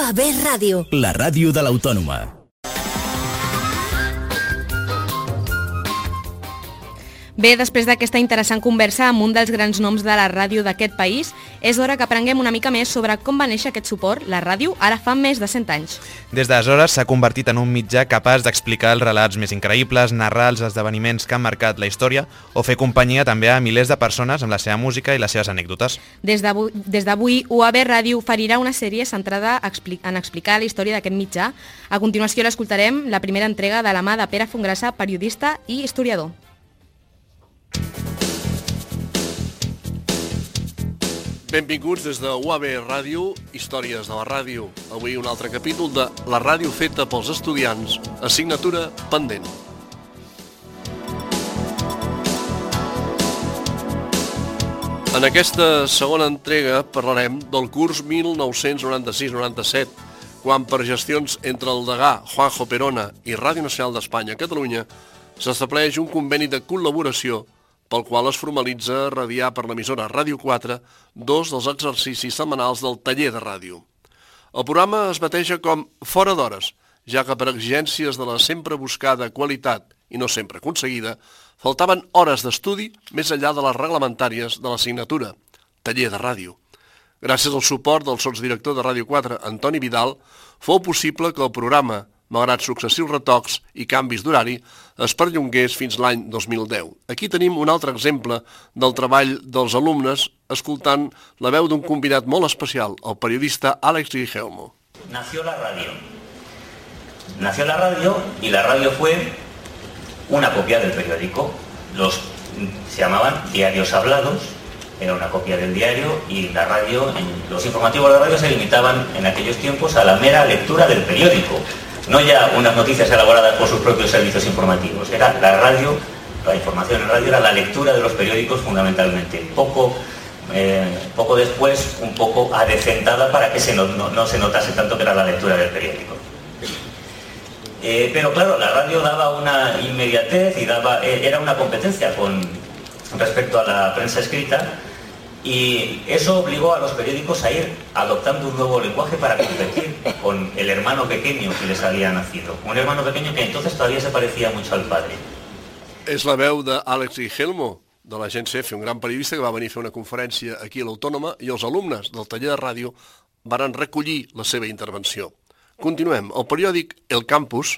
UAB Ràdio. La ràdio de l'Autònoma. Bé, després d'aquesta interessant conversa amb un dels grans noms de la ràdio d'aquest país, és hora que aprenguem una mica més sobre com va néixer aquest suport, la ràdio, ara fa més de 100 anys. Des d'aleshores s'ha convertit en un mitjà capaç d'explicar els relats més increïbles, narrar els esdeveniments que han marcat la història o fer companyia també a milers de persones amb la seva música i les seves anècdotes. Des d'avui, UAB Ràdio oferirà una sèrie centrada en explicar la història d'aquest mitjà. A continuació l'escoltarem, la primera entrega de la mà de Pere Fongrassa, periodista i historiador. Benvinguts des de UAB Ràdio, Històries de la Ràdio. Avui un altre capítol de La ràdio feta pels estudiants, assignatura pendent. En aquesta segona entrega parlarem del curs 1996-97, quan per gestions entre el degà Juanjo Perona i Ràdio Nacional d'Espanya a Catalunya s'estableix un conveni de col·laboració pel qual es formalitza radiar per l'emissora Ràdio 4 dos dels exercicis setmanals del taller de ràdio. El programa es bateja com Fora d'hores, ja que per exigències de la sempre buscada qualitat i no sempre aconseguida, faltaven hores d'estudi més enllà de les reglamentàries de l'assignatura, taller de ràdio. Gràcies al suport del sotsdirector de Ràdio 4, Antoni Vidal, fou possible que el programa, malgrat successius retocs i canvis d'horari, es perllongués fins l'any 2010. Aquí tenim un altre exemple del treball dels alumnes escoltant la veu d'un convidat molt especial, el periodista Àlex Guillermo. Nació la radio. Nació la radio y la radio fue una copia del periódico. Se llamaban diarios hablados, era una copia del diario y la radio, los informativos de la radio se limitaban en aquellos tiempos a la mera lectura del periódico. No ya unas noticias elaboradas por sus propios servicios informativos, era la radio, la información en radio era la lectura de los periódicos fundamentalmente. Poco después, un poco adecentada para que no se notase tanto que era la lectura del periódico. Pero claro, la radio daba una inmediatez y era una competencia con respecto a la prensa escrita. Y eso obligó a los periódicos a ir adoptando un nuevo lenguaje para competir con el hermano pequeño que les había nacido. Un hermano pequeño que entonces todavía se parecía mucho al padre. És la veu d'Àlex Guillermo, de l'agència EFE, un gran periodista que va venir a fer una conferència aquí a l'Autònoma, i els alumnes del taller de ràdio varen recollir la seva intervenció. Continuem. El periòdic El Campus,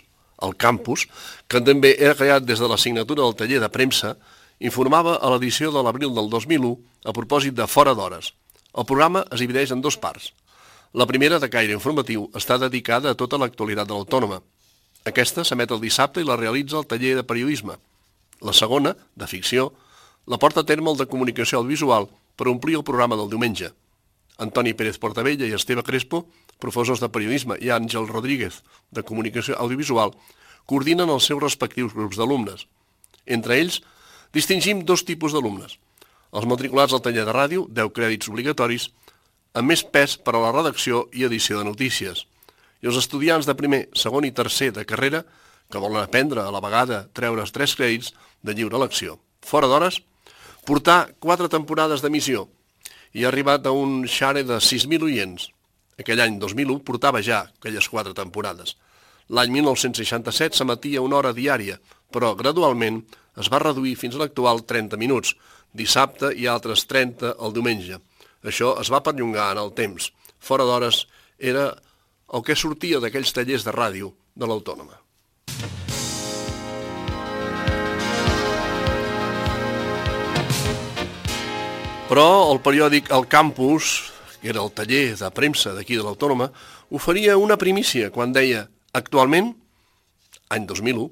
que també era creat des de l'assignatura del taller de premsa, informava a l'edició de l'abril del 2001 a propòsit de Fora d'hores. El programa es divideix en dues parts. La primera, de caire informatiu, està dedicada a tota l'actualitat de l'Autònoma. Aquesta s'emet el dissabte i la realitza el taller de periodisme. La segona, de ficció, la porta a terme el de comunicació audiovisual per omplir el programa del diumenge. Antoni Pérez Portabella i Esteve Crespo, professors de periodisme, i Àngel Rodríguez, de comunicació audiovisual, coordinen els seus respectius grups d'alumnes. Entre ells, distingim dos tipus d'alumnes. Els matriculats al taller de ràdio, 10 crèdits obligatoris, amb més pes per a la redacció i edició de notícies. I els estudiants de primer, segon i tercer de carrera, que volen aprendre a la vegada treure's 3 crèdits de lliure elecció. Fora d'hores, portar 4 temporades d'emissió i ha arribat a un share de 6.000 oients. Aquell any 2001 portava ja aquelles 4 temporades. L'any 1967 s'emetia una hora diària, però gradualment es va reduir fins a l'actual 30 minuts, dissabte i altres 30 el diumenge. Això es va perllongar en el temps. Fora d'hores era el que sortia d'aquells tallers de ràdio de l'Autònoma. Però el periòdic El Campus, que era el taller de premsa d'aquí de l'Autònoma, oferia una primícia quan deia: actualment, any 2001,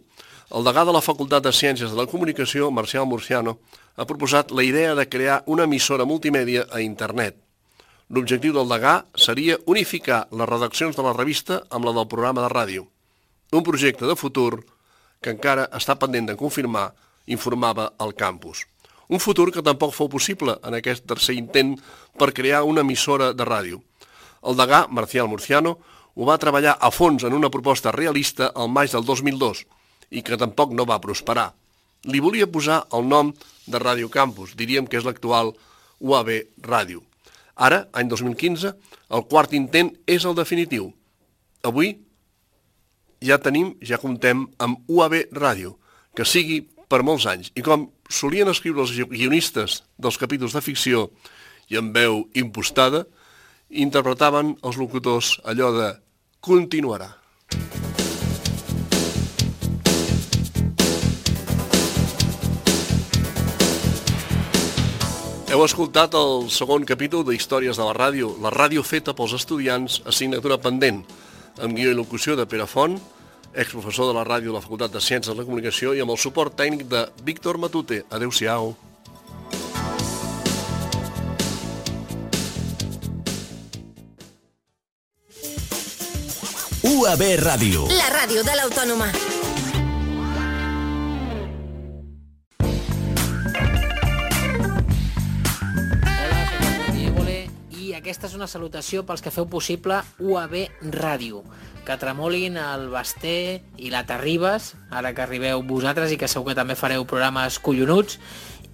el degà de la Facultat de Ciències de la Comunicació, Marcial Murciano, ha proposat la idea de crear una emissora multimèdia a internet. L'objectiu del degà seria unificar les redaccions de la revista amb la del programa de ràdio. Un projecte de futur que encara està pendent de confirmar, informava el campus. Un futur que tampoc fou possible en aquest tercer intent per crear una emissora de ràdio. El degà, Marcial Murciano, ho va treballar a fons en una proposta realista al maig del 2002 i que tampoc no va prosperar. Li volia posar el nom de Ràdio Campus, diríem que és l'actual UAB Ràdio. Ara, any 2015, el quart intent és el definitiu. avui ja comptem amb UAB Ràdio, que sigui per molts anys. I com solien escriure els guionistes dels capítols de ficció i amb veu impostada, interpretaven els locutors allò de continuarà. Heu escoltat el segon capítol de Històries de la ràdio feta pels estudiants, assignatura pendent, amb guió i locució de Pere Font, exprofessor de la ràdio de la Facultat de Ciències de la Comunicació, i amb el suport tècnic de Víctor Matute. Adéu-siau. UAB Ràdio. La ràdio de l'Autònoma. Aquesta és una salutació pels que feu possible UAB Ràdio. Que tremolin el Basté i la Terribas, ara que arribeu vosaltres i que segur que també fareu programes collonuts,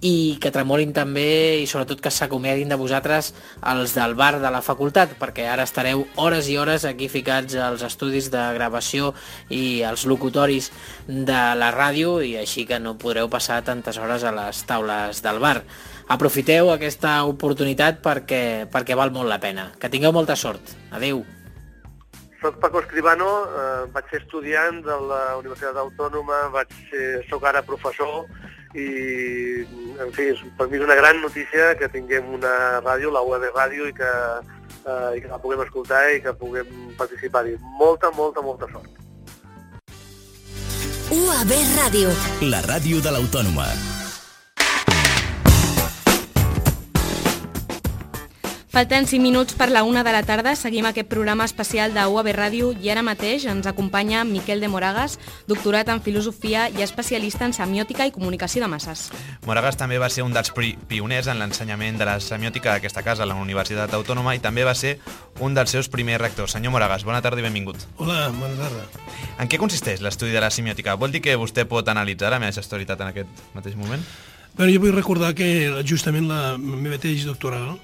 i que tremolin també i sobretot que s'acomiadin de vosaltres els del bar de la facultat, perquè ara estareu hores i hores aquí ficats als estudis de gravació i als locutoris de la ràdio, i així que no podreu passar tantes hores a les taules del bar. Aprofiteu aquesta oportunitat perquè val molt la pena. Que tingueu molta sort. Adéu. Soc Paco Escribano, vaig ser estudiant de la Universitat Autònoma, soc ara professor i, en fi, per mi és una gran notícia que tinguem una ràdio, la UAB Ràdio, i que la puguem escoltar i que puguem participar-hi. Molta, molta, molta sort. UAB Ràdio. La ràdio de l'Autònoma. Falten 5 minuts per la 1 de la tarda, seguim aquest programa especial de UAB Ràdio i ara mateix ens acompanya Miquel de Moragas, doctorat en filosofia i especialista en semiòtica i comunicació de masses. Moragas també va ser un dels pioners en l'ensenyament de la semiòtica d'aquesta casa, a la Universitat Autònoma, i també va ser un dels seus primers rectors. Senyor Moragas, bona tarda i benvingut. Hola, bona tarda. En què consisteix l'estudi de la semiòtica? Vol dir que vostè pot analitzar la meva gestualitat en aquest mateix moment? Bé, jo vull recordar que justament la meva tesi doctoral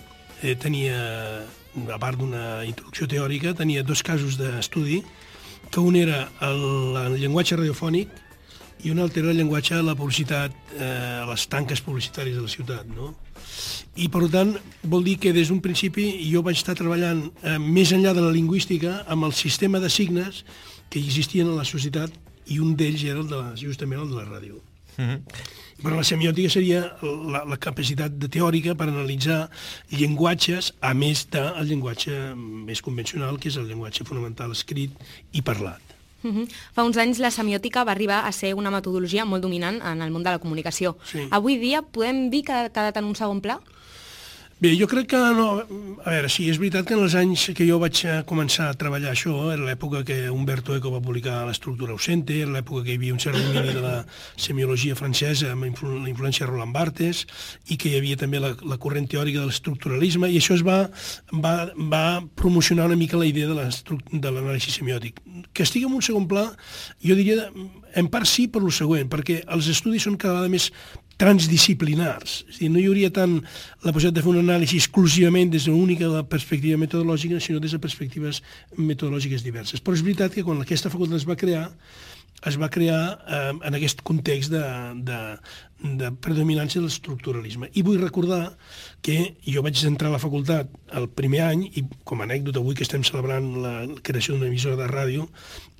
tenia, a part d'una introducció teòrica, tenia 2 casos d'estudi, que un era el llenguatge radiofònic i un altre era el llenguatge de la publicitat, a les tanques publicitàries de la ciutat, no? I, per tant, vol dir que des d'un principi jo vaig estar treballant més enllà de la lingüística amb el sistema de signes que existien a la societat, i un d'ells era justament el de la ràdio. Però la semiòtica seria la capacitat teòrica per analitzar llenguatges, a més del llenguatge més convencional, que és el llenguatge fonamental escrit i parlat. Fa uns anys la semiòtica va arribar a ser una metodologia molt dominant en el món de la comunicació. Sí. Avui dia podem dir que ha quedat en un segon pla? Bé, jo crec que no. A veure, sí, és veritat que en els anys que jo vaig començar a treballar això, era l'època que Umberto Eco va publicar l'Estructura ausente, era l'època que hi havia un cert domini de la semiologia francesa amb la influència de Roland Barthes, i que hi havia també la corrent teòrica de l'estructuralisme, i això es va promocionar una mica la idea de l'anàlisi semiòtic. Que estigui en un segon pla, jo diria, en part sí, per lo següent, perquè els estudis són cada vegada més transdisciplinars. És a dir, no hi hauria tant la possibilitat de fer una anàlisi exclusivament des d'una única perspectiva metodològica, sinó des de perspectives metodològiques diverses. Però és veritat que quan aquesta facultat es va crear en aquest context de predominància de l'estructuralisme. I vull recordar que jo vaig entrar a la facultat el primer any, i com a anècdota avui que estem celebrant la creació d'una emissora de ràdio,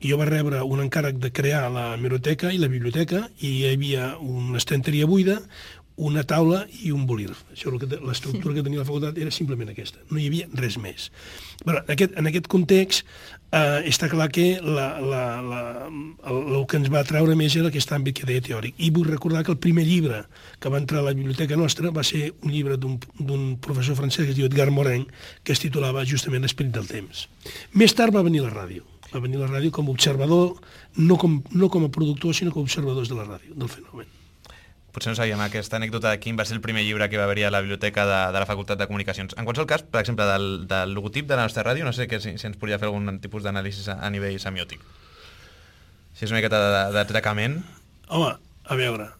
jo vaig rebre un encàrrec de crear la hemeroteca i la biblioteca, i hi havia una estanteria buida, una taula i un bolígraf. Això, l'estructura que tenia la facultat era simplement aquesta. No hi havia res més. Però en aquest context està clar que el que ens va atraure més era aquest àmbit que deia teòric. I vull recordar que el primer llibre que va entrar a la biblioteca nostra va ser un llibre d'un professor francès que es diu Edgar Morin, que es titulava justament L'esperit del temps. Més tard va venir la ràdio. Va venir la ràdio com a observador, no com a productor, sinó com a observadors de la ràdio, del fenomen. Potser no sabíem aquesta anècdota de quin va ser el primer llibre que va haver-hi a la biblioteca de la Facultat de Comunicacions. En qualsevol cas, per exemple, del logotip de la nostra ràdio, no sé si ens podria fer algun tipus d'anàlisi a nivell semiòtic. Si és una miqueta d'atracament. Home, a veure,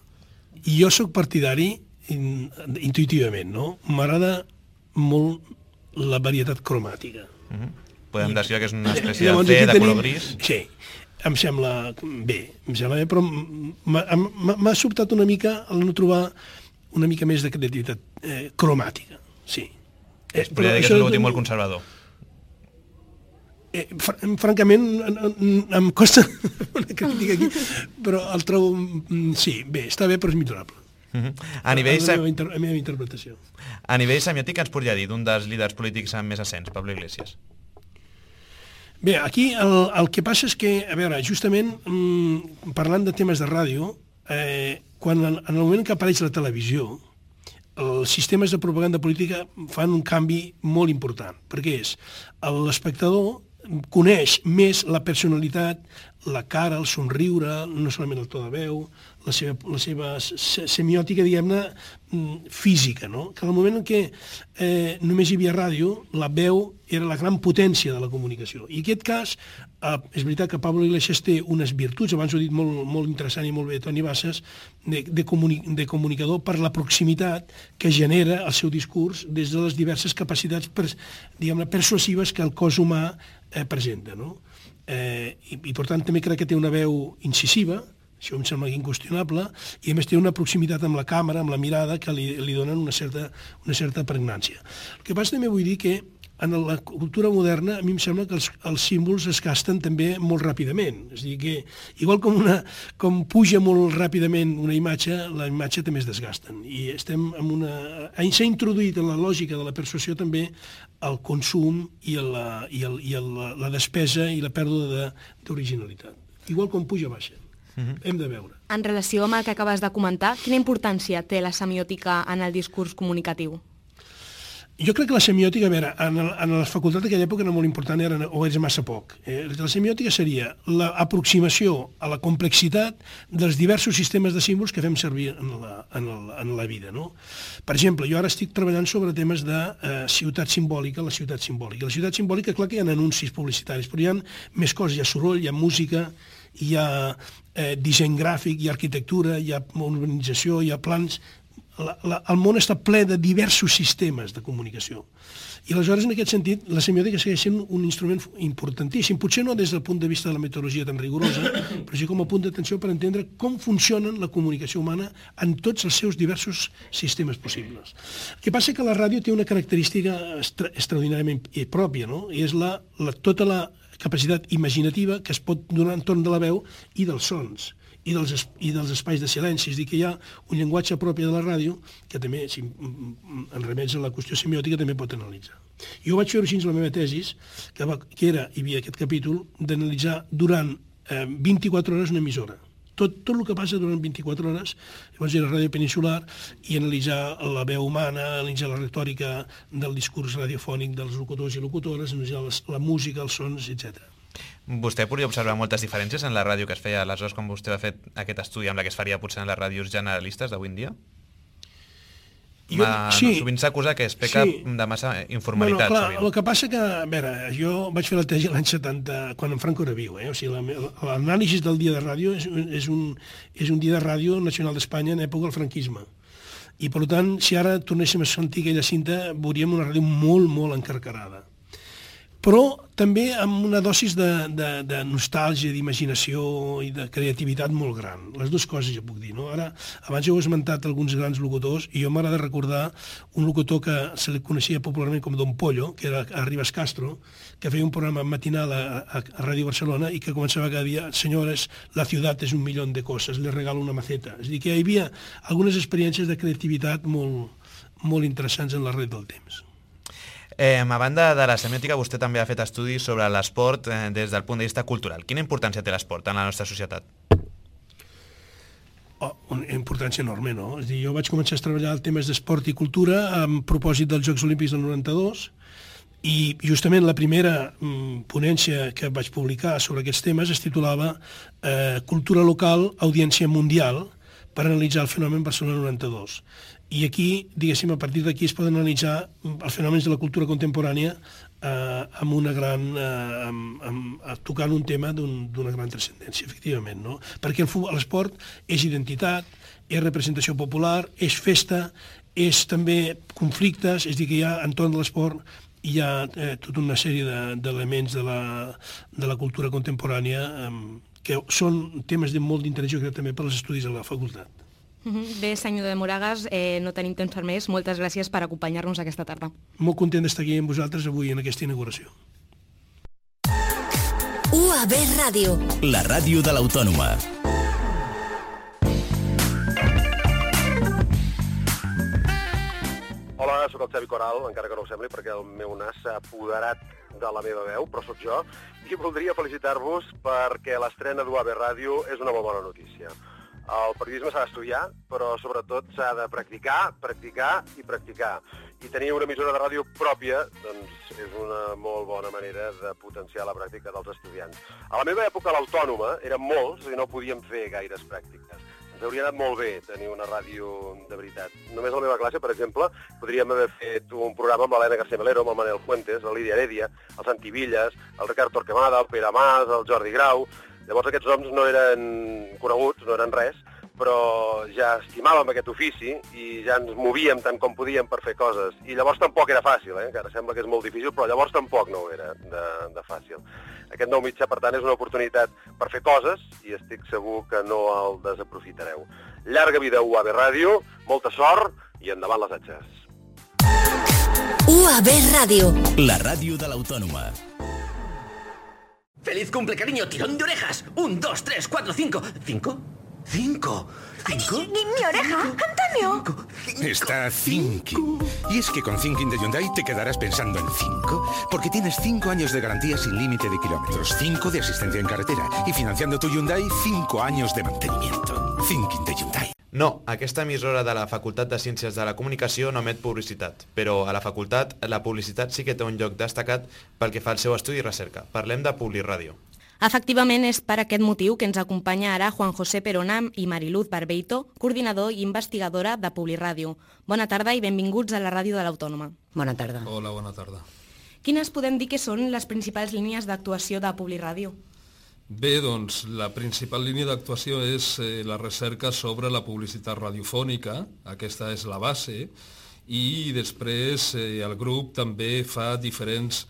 jo sóc partidari intuïtivament, no? M'agrada molt la varietat cromàtica. podem descriure que és una espècie Llavors, de aquí C, de tenim- color gris. Sí, em sembla bé, però m'ha sobtat una mica el no trobar una mica més de creativitat cromàtica, sí. Es podria dir que és un logotip molt conservador. Francament, em costa una crítica aquí, però el trobo, sí, bé, està bé, però és millorable. A nivell La meva interpretació. A nivell semiòtic, ens podria dir d'un dels líders polítics amb més ascens, Pablo Iglesias. Bé, aquí el que passa és que, a veure, justament parlant de temes de ràdio, quan en el moment que apareix la televisió, els sistemes de propaganda política fan un canvi molt important, perquè és l'espectador coneix més la personalitat, la cara, el somriure, no solament el to de veu, la seva semiòtica, diguem-ne, física, no? Que en el moment en què només hi havia ràdio, la veu era la gran potència de la comunicació. I en aquest cas, és veritat que Pablo Iglesias té unes virtuts, abans ho he dit molt interessant i molt bé Toni Bassas, de comunicador per la proximitat que genera el seu discurs des de les diverses capacitats, diguem-ne, persuasives que el cos humà presenta, no? I per tant també crec que té una veu incisiva, això em sembla inqüestionable, i a més té una proximitat amb la càmera, amb la mirada, que li donen una certa pregnància. El que passa també vull dir que en la cultura moderna a mi em sembla que els símbols es gasten també molt ràpidament. És a dir, que igual com puja molt ràpidament una imatge, la imatge també es desgasten. I estem en s'ha introduït en la lògica de la persuasió també el consum i la despesa i la pèrdua d'originalitat. Igual com puja, baixa. Hem de veure. En relació amb el que acabes de comentar, quina importància té la semiòtica en el discurs comunicatiu? Jo crec que la semiòtica, a veure, en la facultat d'aquella època era molt important, o era massa poc. La semiòtica seria l'aproximació a la complexitat dels diversos sistemes de símbols que fem servir en la vida, no? Per exemple, jo ara estic treballant sobre temes de ciutat simbòlica, la ciutat simbòlica. La ciutat simbòlica, clar que hi ha anuncis publicitaris, però hi ha més coses, hi ha soroll, hi ha música, hi ha disseny gràfic, hi ha arquitectura, hi ha urbanització, hi ha plans. El món està ple de diversos sistemes de comunicació. I aleshores, en aquest sentit, la semiòtica segueix sent un instrument importantíssim, potser no des del punt de vista de la metodologia tan rigorosa, però sí com a punt d'atenció per entendre com funcionen la comunicació humana en tots els seus diversos sistemes possibles. El que passa és que la ràdio té una característica extraordinàriament pròpia, no? I és tota la capacitat imaginativa que es pot donar entorn de la veu i dels sons i dels espais de silenci. És a dir, que hi ha un llenguatge propi de la ràdio que també, si en remets a la qüestió semiòtica, també pot analitzar. Jo vaig fer així la meva tesis, que hi havia aquest capítol d'analitzar durant 24 hores una emissora. Tot el que passa durant 24 hores, llavors era ràdio peninsular, i analitzar la veu humana, analitzar la retòrica del discurs radiofònic dels locutors i locutores, analitzar la música, els sons, etc. Vostè podria observar moltes diferències en la ràdio que es feia aleshores quan vostè va fer aquest estudi amb la que es faria potser en les ràdios generalistes d'avui en dia? Sí. Sovint s'acusa que es peca de massa informalitat. Bueno, clar, el que passa que, a veure, jo vaig fer la tesi l'any 70, quan en Franco era viu, o sigui, l'anàlisi del dia de ràdio és un dia de ràdio nacional d'Espanya en època del franquisme. I, per tant, si ara tornéssim a sentir aquella cinta, veuríem una ràdio molt, molt encarcarada. Però també amb una dosis de nostàlgia, d'imaginació i de creativitat molt gran. Les dues coses ja puc dir, no? Ara, abans heu esmentat alguns grans locutors, i jo m'agrada recordar un locutor que se li coneixia popularment com Don Pollo, que era a Ribes Castro, que feia un programa matinal a Ràdio Barcelona i que començava cada dia: senyores, la ciutat és 1.000.000 de coses, les regalo una maceta. És a dir, que hi havia algunes experiències de creativitat molt interessants en la red del temps. A banda de la semiòtica, vostè també ha fet estudis sobre l'esport des del punt de vista cultural. Quina importància té l'esport en la nostra societat? Una importància enorme, no? És a dir, jo vaig començar a treballar en temes d'esport i cultura amb propòsit dels Jocs Olímpics del 92, i justament la primera ponència que vaig publicar sobre aquests temes es titulava Cultura local, audiència mundial, per analitzar el fenomen Barcelona 92. I aquí, diguéssim, a partir d'aquí es poden analitzar els fenòmens de la cultura contemporània amb una gran... tocant un tema d'una gran transcendència, efectivament, no? Perquè l'esport és identitat, és representació popular, és festa, és també conflictes, és a dir, que hi ha entorn de l'esport hi ha tota una sèrie d'elements de la cultura contemporània que són temes de molt d'interès, jo crec, també per als estudis a la facultat. Bé, senyor de Moragas, no tenim temps per més. Moltes gràcies per acompanyar-nos aquesta tarda. Molt content d'estar aquí amb vosaltres avui en aquesta inauguració. UAB Ràdio. La ràdio de l'Autònoma. Hola, sóc el Xavi Coral, encara que no ho sembli, perquè el meu nas s'ha apoderat de la meva veu, però sóc jo, i voldria felicitar-vos perquè l'estrena d'UAB Ràdio és una molt bona notícia. El periodisme s'ha d'estudiar, però sobretot s'ha de practicar, practicar i practicar. I tenir una emissora de ràdio pròpia doncs, és una molt bona manera de potenciar la pràctica dels estudiants. A la meva època, a l'Autònoma, érem molts i no podíem fer gaires pràctiques. Ens hauria anat molt bé tenir una ràdio de veritat. Només a la meva classe, per exemple, podríem haver fet un programa amb l'Helena García Melero, amb el Manel Fuentes, la Lídia Heredia, el Santi Villas, el Ricard Torquemada, el Pere Mas, el Jordi Grau. Llavors aquests noms no eren coneguts, no eren res, però ja estimàvem aquest ofici i ja ens movíem tant com podíem per fer coses. I llavors tampoc era fàcil, que ara sembla que és molt difícil, però llavors tampoc no ho era de fàcil. Aquest nou mitjà, per tant, és una oportunitat per fer coses i estic segur que no el desaprofitareu. Llarga vida a UAB Ràdio, molta sort i endavant les atxes. UAB Ràdio. La ràdio de l'Autònoma. ¡Feliz cumple, cariño! ¡Tirón de orejas! 1, 2, 3, 4, 5... ¿5? ¿5? ¿5? ¡Mi oreja! ¡Antonio! Está thinking. Y es que con Thinking de Hyundai te quedarás pensando en 5, porque tienes 5 años de garantía sin límite de kilómetros, 5 de asistencia en carretera y financiando tu Hyundai 5 años de mantenimiento. Thinking de Hyundai. No, aquesta emissora de la Facultat de Ciències de la Comunicació no emet publicitat, però a la facultat la publicitat sí que té un lloc destacat pel que fa al seu estudi i recerca. Parlem de Publiràdio. Efectivament, és per aquest motiu que ens acompanya ara Juan José Perona i Mariluz Barbeito, coordinador i investigadora de Publiràdio. Bona tarda i benvinguts a la ràdio de l'Autònoma. Bona tarda. Hola, bona tarda. Quines podem dir que són les principals línies d'actuació de Publiràdio? Bé, doncs, la principal línia d'actuació és la recerca sobre la publicitat radiofònica, aquesta és la base, i després el grup també fa diferents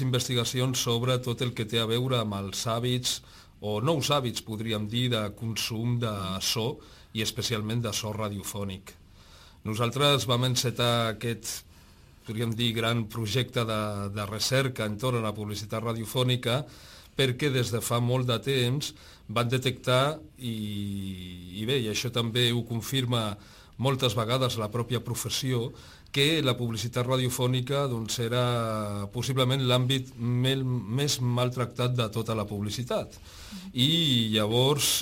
investigacions sobre tot el que té a veure amb els hàbits, o nous hàbits, podríem dir, de consum de so, i especialment de so radiofònic. Nosaltres vam encetar aquest, podríem dir, gran projecte de recerca entorn a la publicitat radiofònica, perquè des de fa molt de temps van detectar, i bé, i això també ho confirma moltes vegades la pròpia professió, que la publicitat radiofònica doncs, era possiblement l'àmbit més maltractat de tota la publicitat. I llavors,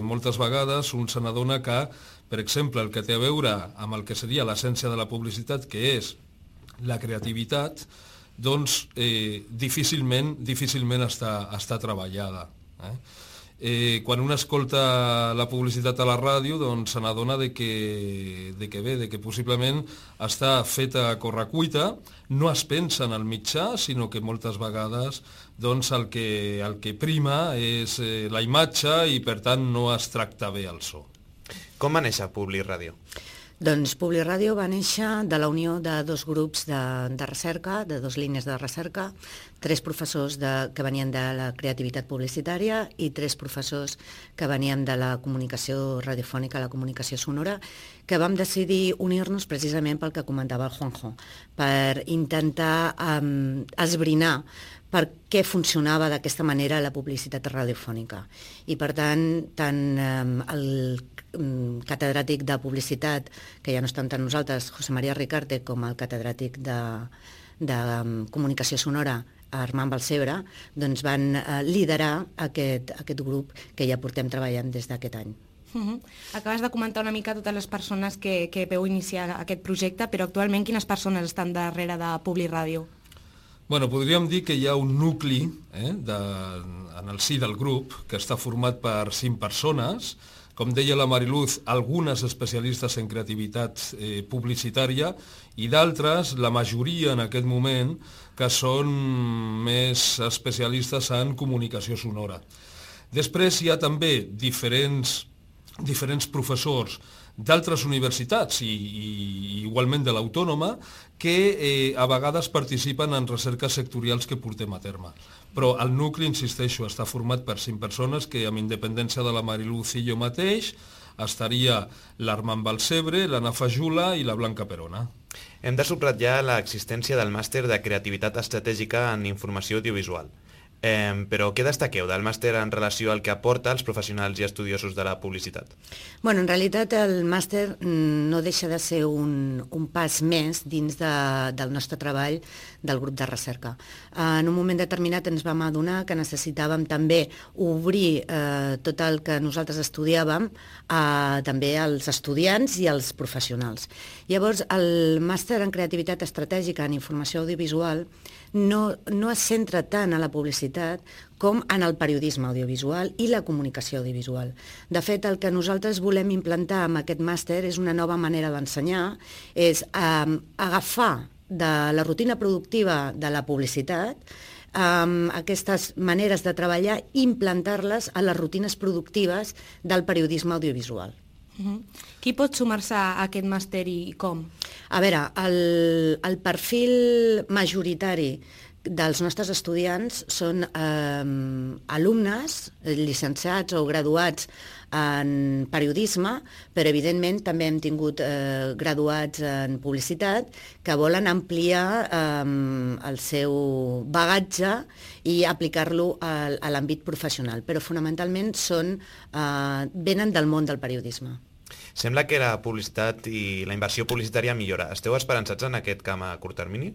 moltes vegades, un se n'adona que, per exemple, el que té a veure amb el que seria l'essència de la publicitat, que és la creativitat, doncs difícilment està treballada. Quan un escolta la publicitat a la ràdio, doncs se n'adona que possiblement està feta a correcuita, no es pensa en el mitjà, sinó que moltes vegades doncs, el que prima és la imatge i per tant no es tracta bé el so. Com va néixer Publiràdio? Doncs Publiràdio va néixer de la unió de dos grups de recerca, de dos línies de recerca, 3 professors que venien de la creativitat publicitària i 3 professors que venien de la comunicació radiofònica, la comunicació sonora, que vam decidir unir-nos precisament pel que comentava el Juanjo, per intentar esbrinar per què funcionava d'aquesta manera la publicitat radiofònica. I per tant el catedràtic de publicitat, que ja no està entre nosaltres, José María Ricarte, com el catedràtic de comunicació sonora, Armand Balcebre, doncs van liderar aquest grup que ja portem treballant des d'aquest any. Acabes de comentar una mica totes les persones que veu iniciar aquest projecte, però actualment quines persones estan darrere de Publiràdio? Bueno, podríem dir que hi ha un nucli en el si del grup que està format per 5 persones, com deia la Mariluz, algunes especialistes en creativitat publicitària i d'altres, la majoria en aquest moment, que són més especialistes en comunicació sonora. Després hi ha també diferents professors d'altres universitats i igualment de l'Autònoma que a vegades participen en recerques sectorials que portem a terme. Però el nucli, insisteixo, està format per 5 persones que, amb independència de la Mariluz i jo mateix, estaria l'Armand Balcebre, l'Anna Fajula i la Blanca Perona. Hem de subratllar l'existència del màster de creativitat estratègica en informació audiovisual. Però què destaqueu del màster en relació al que aporta als professionals i estudiosos de la publicitat? Bueno, en realitat el màster no deixa de ser un pas més dins del nostre treball del grup de recerca. En un moment determinat ens vam adonar que necessitàvem també obrir tot el que nosaltres estudiàvem també als estudiants i als professionals. Llavors, el màster en creativitat estratègica en informació audiovisual no es centra tant en la publicitat com en el periodisme audiovisual i la comunicació audiovisual. De fet, el que nosaltres volem implantar amb aquest màster és una nova manera d'ensenyar, és agafar de la rutina productiva de la publicitat aquestes maneres de treballar i implantar-les a les rutines productives del periodisme audiovisual. Qui pot sumar-se a aquest màster i com? A veure, el perfil majoritari dels nostres estudiants són alumnes, llicenciats o graduats en periodisme, però evidentment també hem tingut graduats en publicitat que volen ampliar el seu bagatge i aplicar-lo a l'àmbit professional, però fonamentalment venen del món del periodisme. Sembla que la publicitat i la inversió publicitària millora. Esteu esperançats en aquest camp a curt termini?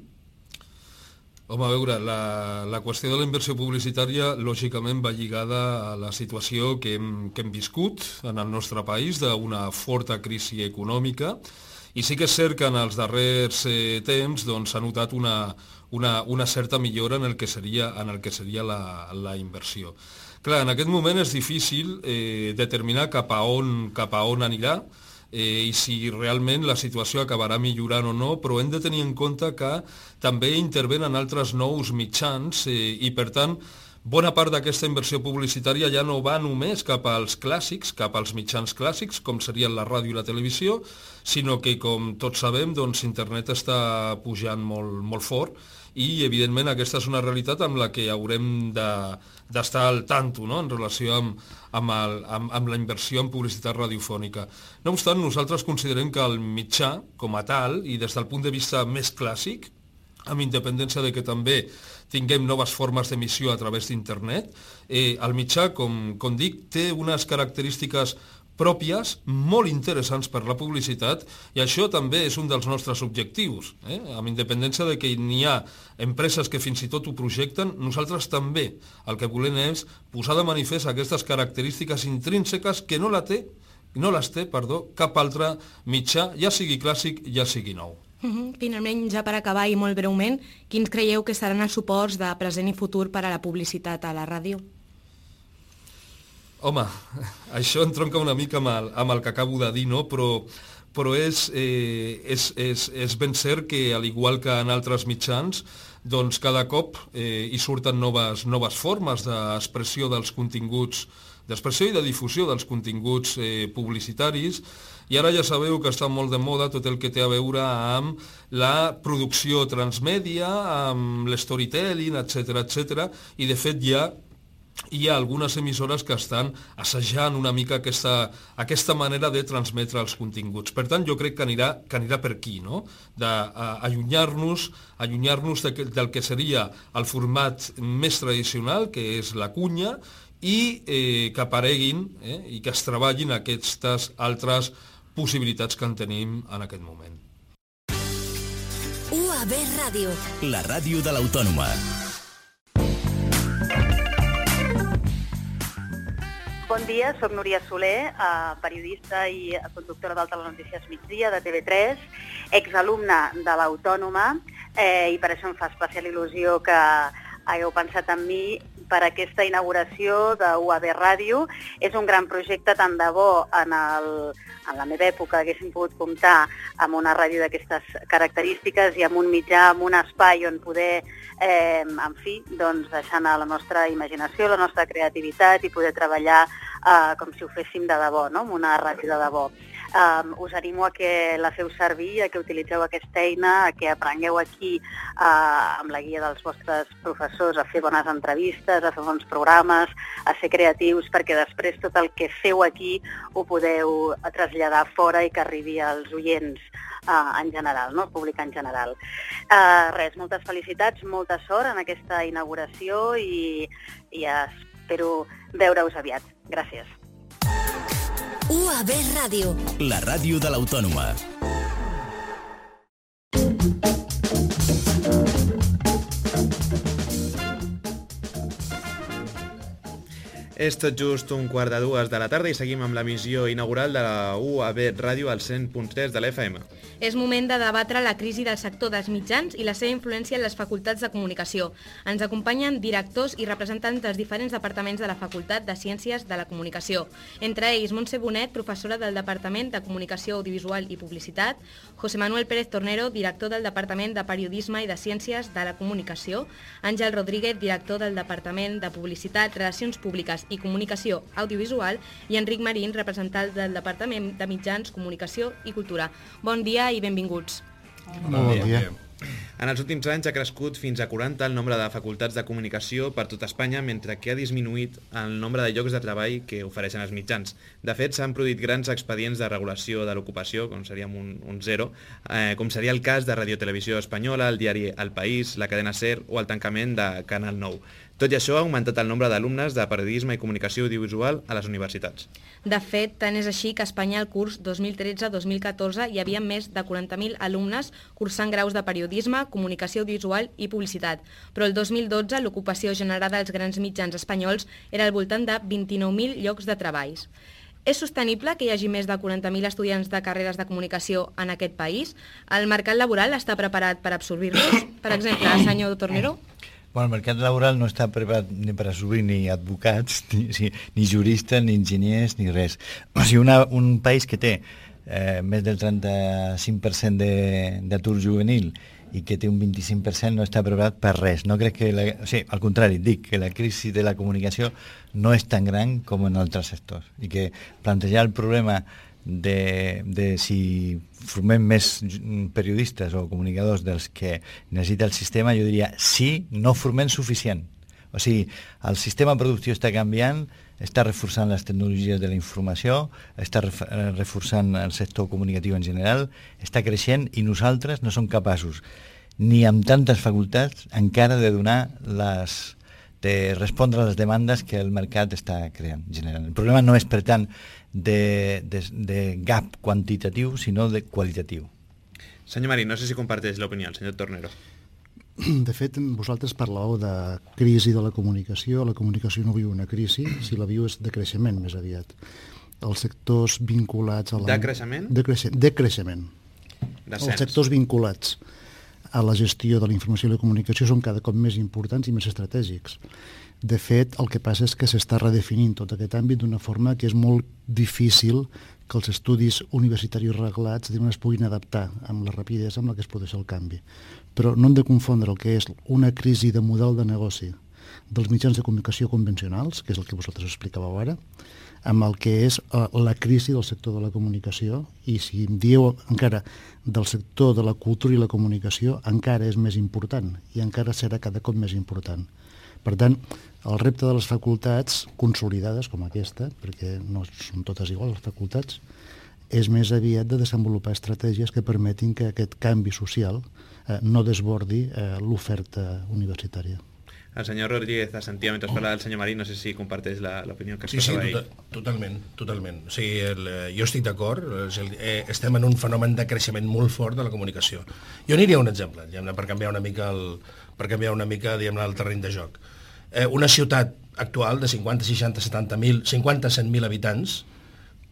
Home, a veure, la qüestió de la inversió publicitària lògicament va lligada a la situació que hem viscut en el nostre país d'una forta crisi econòmica, i sí que és cert que en els darrers temps s'ha notat una certa millora en el que seria la inversió. Clar, en aquest moment és difícil determinar cap a on anirà i si realment la situació acabarà millorant o no, però hem de tenir en compte que també intervenen altres nous mitjans i, per tant, bona part d'aquesta inversió publicitària ja no va només cap als clàssics, cap als mitjans clàssics, com serien la ràdio i la televisió, sinó que, com tots sabem, internet està pujant molt fort i, evidentment, aquesta és una realitat amb la que haurem d'estar al tanto, no?, en relació amb la inversió en publicitat radiofònica. No obstant, nosaltres considerem que el mitjà, com a tal, i des del punt de vista més clàssic, amb independència de que també tinguem noves formes d'emissió a través d'internet, el mitjà, com dic, té unes característiques pròpies, molt interessants per la publicitat, i això també és un dels nostres objectius. Amb independència de que n'hi ha empreses que fins i tot ho projecten, nosaltres també el que volem és posar de manifest aquestes característiques intrínseques que no les té cap altre mitjà, ja sigui clàssic, ja sigui nou. Finalment, ja per acabar i molt breument, quins creieu que seran els suports de present i futur per a la publicitat a la ràdio? Home, això entronca una mica amb el que acabo de dir, no? Però és ben cert que, al igual que en altres mitjans, doncs cada cop hi surten noves formes d'expressió dels continguts, d'expressió i de difusió dels continguts publicitaris, i ara ja sabeu que està molt de moda tot el que té a veure amb la producció transmèdia, amb l'storytelling, etc. I de fet hi ha algunes emissores que estan assajant una mica aquesta manera de transmetre els continguts. Per tant, jo crec que anirà per aquí, no?, d'allunyar-nos del que seria el format més tradicional, que és la cunya, i que apareguin i que es treballin aquestes altres possibilitats que en tenim en aquest moment. UAB Ràdio. La ràdio de l'Autònoma. Bon dia, soc Núria Soler, periodista i conductora del Telenotícies Migdia de TV3, exalumna de l'Autònoma, i per això em fa especial il·lusió que hagueu pensat en mi per aquesta inauguració de UAB Ràdio. És un gran projecte, tant de bo en la meva època haguéssim pogut comptar amb una ràdio d'aquestes característiques i amb un mitjà, amb un espai on poder, en fi, doncs deixant a la nostra imaginació, la nostra creativitat i poder treballar com si ho féssim de debò, no?, amb una ràdio de debò. Us animo a que la feu servir, a que utilitzeu aquesta eina, a que aprengueu aquí amb la guia dels vostres professors a fer bones entrevistes, a fer bons programes, a ser creatius, perquè després tot el que feu aquí ho podeu traslladar fora i que arribi als oients en general, no? El públic en general. Res, moltes felicitats, molta sort en aquesta inauguració i espero veure-us aviat. Gràcies. UAB Ràdio. La ràdio de l'Autònoma. És tot just 1:15 de la tarda i seguim amb l'emissió inaugural de la UAB Ràdio al 100.3 de l'FM. És moment de debatre la crisi del sector dels mitjans i la seva influència en les facultats de comunicació. Ens acompanyen directors i representants dels diferents departaments de la Facultat de Ciències de la Comunicació. Entre ells, Montse Bonet, professora del Departament de Comunicació Audiovisual i Publicitat, José Manuel Pérez Tornero, director del Departament de Periodisme i de Ciències de la Comunicació, Àngel Rodríguez, director del Departament de Publicitat, Relacions Públiques i Comunicació Audiovisual, i Enric Marín, representant del Departament de Mitjans, Comunicació i Cultura. Bon dia i benvinguts. Bon dia. En els últims anys ha crescut fins a 40 el nombre de facultats de comunicació per tot Espanya, mentre que ha disminuït el nombre de llocs de treball que ofereixen els mitjans. De fet, s'han produït grans expedients de regulació de l'ocupació, com seria un zero, com seria el cas de Radio Televisió Espanyola, el diari El País, la cadena SER o el tancament de Canal 9. Tot i això, ha augmentat el nombre d'alumnes de periodisme i comunicació audiovisual a les universitats. De fet, tant és així que a Espanya al curs 2013-2014 hi havia més de 40.000 alumnes cursant graus de periodisme, comunicació audiovisual i publicitat. Però el 2012 l'ocupació generada als grans mitjans espanyols era al voltant de 29.000 llocs de treballs. És sostenible que hi hagi més de 40.000 estudiants de carreres de comunicació en aquest país? El mercat laboral està preparat per absorbir-los? Per exemple, senyor Tornero? Bueno, el mercat laboral no està preparat ni per assumir ni advocats, ni juristes, ni enginyers, ni res. O sigui, un país que té més del 35% d'atur juvenil i que té un 25% no està preparat per res. No crec que o sigui, al contrari, dic que la crisi de la comunicació no és tan gran com en altres sectors i que plantejar el problema de si formem més periodistes o comunicadors dels que necessita el sistema, jo diria sí, no formem suficient. O sigui, el sistema productiu està canviant, està reforçant les tecnologies de la informació, està reforçant el sector comunicatiu en general, està creixent i nosaltres no som capaços, ni amb tantes facultats, encara de respondre a les demandes que el mercat està creant, generant. El problema no és, per tant, de gap quantitatiu, sinó de qualitatiu. Senyor Marín, no sé si comparteix l'opinió, el senyor Tornero. De fet, vosaltres parlàveu de crisi de la comunicació no viu una crisi, si la viu és de creixement més aviat. Els sectors vinculats a la... De creixement? De creixement. Els sectors vinculats a la gestió de la informació i la comunicació són cada cop més importants i més estratègics. De fet, el que passa és que s'està redefinint tot aquest àmbit d'una forma que és molt difícil que els estudis universitaris reglats es puguin adaptar amb la rapidesa amb la que es produeix el canvi. Però no hem de confondre el que és una crisi de model de negoci dels mitjans de comunicació convencionals, que és el que vosaltres explicàveu ara, amb el que és la crisi del sector de la comunicació, i si em dieu encara del sector de la cultura i la comunicació, encara és més important i encara serà cada cop més important. Per tant, el repte de les facultats consolidades com aquesta, perquè no són totes iguals les facultats, és més aviat de desenvolupar estratègies que permetin que aquest canvi social no desbordi l'oferta universitària. El senyor Rodríguez assentia mentre parlava del senyor Marín, no sé si comparteix l'opinió que expressava ahir. Totalment. O sigui, jo estic d'acord, estem en un fenomen de creixement molt fort de la comunicació. Jo aniria a un exemple, per canviar una mica el terreny de joc. Una ciutat actual de 50, 60, 70.000, 50, 100.000 habitants,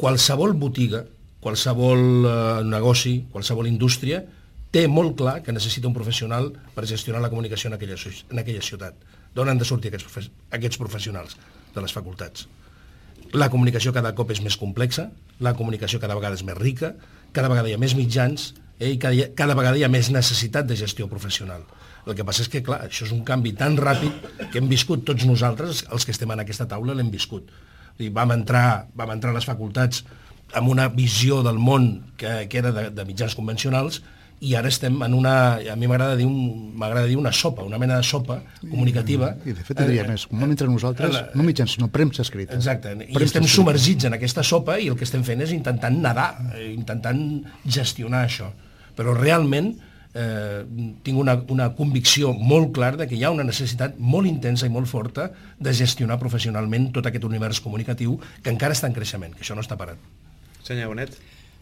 qualsevol botiga, qualsevol negoci, qualsevol indústria, té molt clar que necessita un professional per gestionar la comunicació en aquella ciutat. D'on han de sortir aquests professionals? De les facultats. La comunicació cada cop és més complexa, la comunicació cada vegada és més rica, cada vegada hi ha més mitjans i cada vegada hi ha més necessitat de gestió professional. El que passa és que, clar, això és un canvi tan ràpid que hem viscut tots nosaltres, els que estem en aquesta taula, l'hem viscut. Vam entrar a les facultats amb una visió del món que era de mitjans convencionals, i ara estem en una, a mi m'agrada dir una sopa, una mena de sopa comunicativa. I de fet diria més, no mentre nosaltres, no mitjans, sinó premsa escrita. Exacte, i estem submergits en aquesta sopa i el que estem fent és intentant nedar, intentant gestionar això. Però realment tinc una convicció molt clara que hi ha una necessitat molt intensa i molt forta de gestionar professionalment tot aquest univers comunicatiu que encara està en creixement, que això no està parat. Senyor Bonet.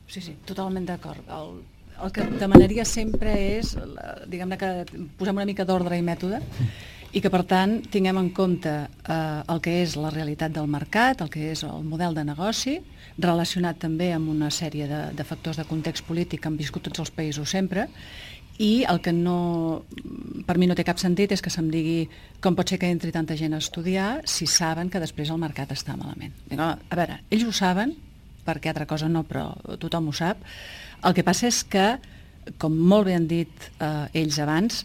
Sí, totalment d'acord. El que demanaria sempre és, diguem-ne, que posem una mica d'ordre i mètode i que, per tant, tinguem en compte el que és la realitat del mercat, el que és el model de negoci, relacionat també amb una sèrie de factors de context polític que han viscut tots els països sempre, i el que per mi no té cap sentit és que se'm digui com pot ser que entri tanta gent a estudiar si saben que després el mercat està malament. A veure, ells ho saben, perquè altra cosa no, però tothom ho sap. El que passa és que, com molt bé han dit ells abans,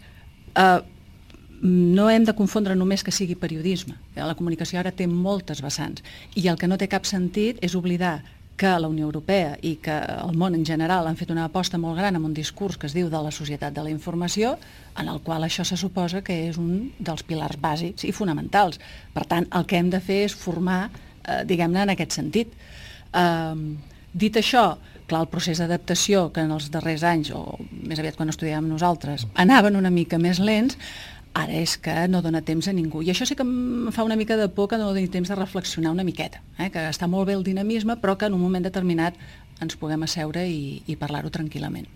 no hem de confondre només que sigui periodisme. La comunicació ara té moltes vessants i el que no té cap sentit és oblidar que la Unió Europea i que el món en general han fet una aposta molt gran amb un discurs que es diu de la societat de la informació, en el qual això se suposa que és un dels pilars bàsics i fonamentals. Per tant, el que hem de fer és formar, diguem-ne, en aquest sentit. Dit això, clar, el procés d'adaptació que en els darrers anys, o més aviat quan estudiàvem nosaltres, anaven una mica més lents, ara és que no dona temps a ningú. I això sí que em fa una mica de por que no doni temps de reflexionar una miqueta, que està molt bé el dinamisme, però que en un moment determinat ens puguem asseure i parlar-ho tranquil·lament.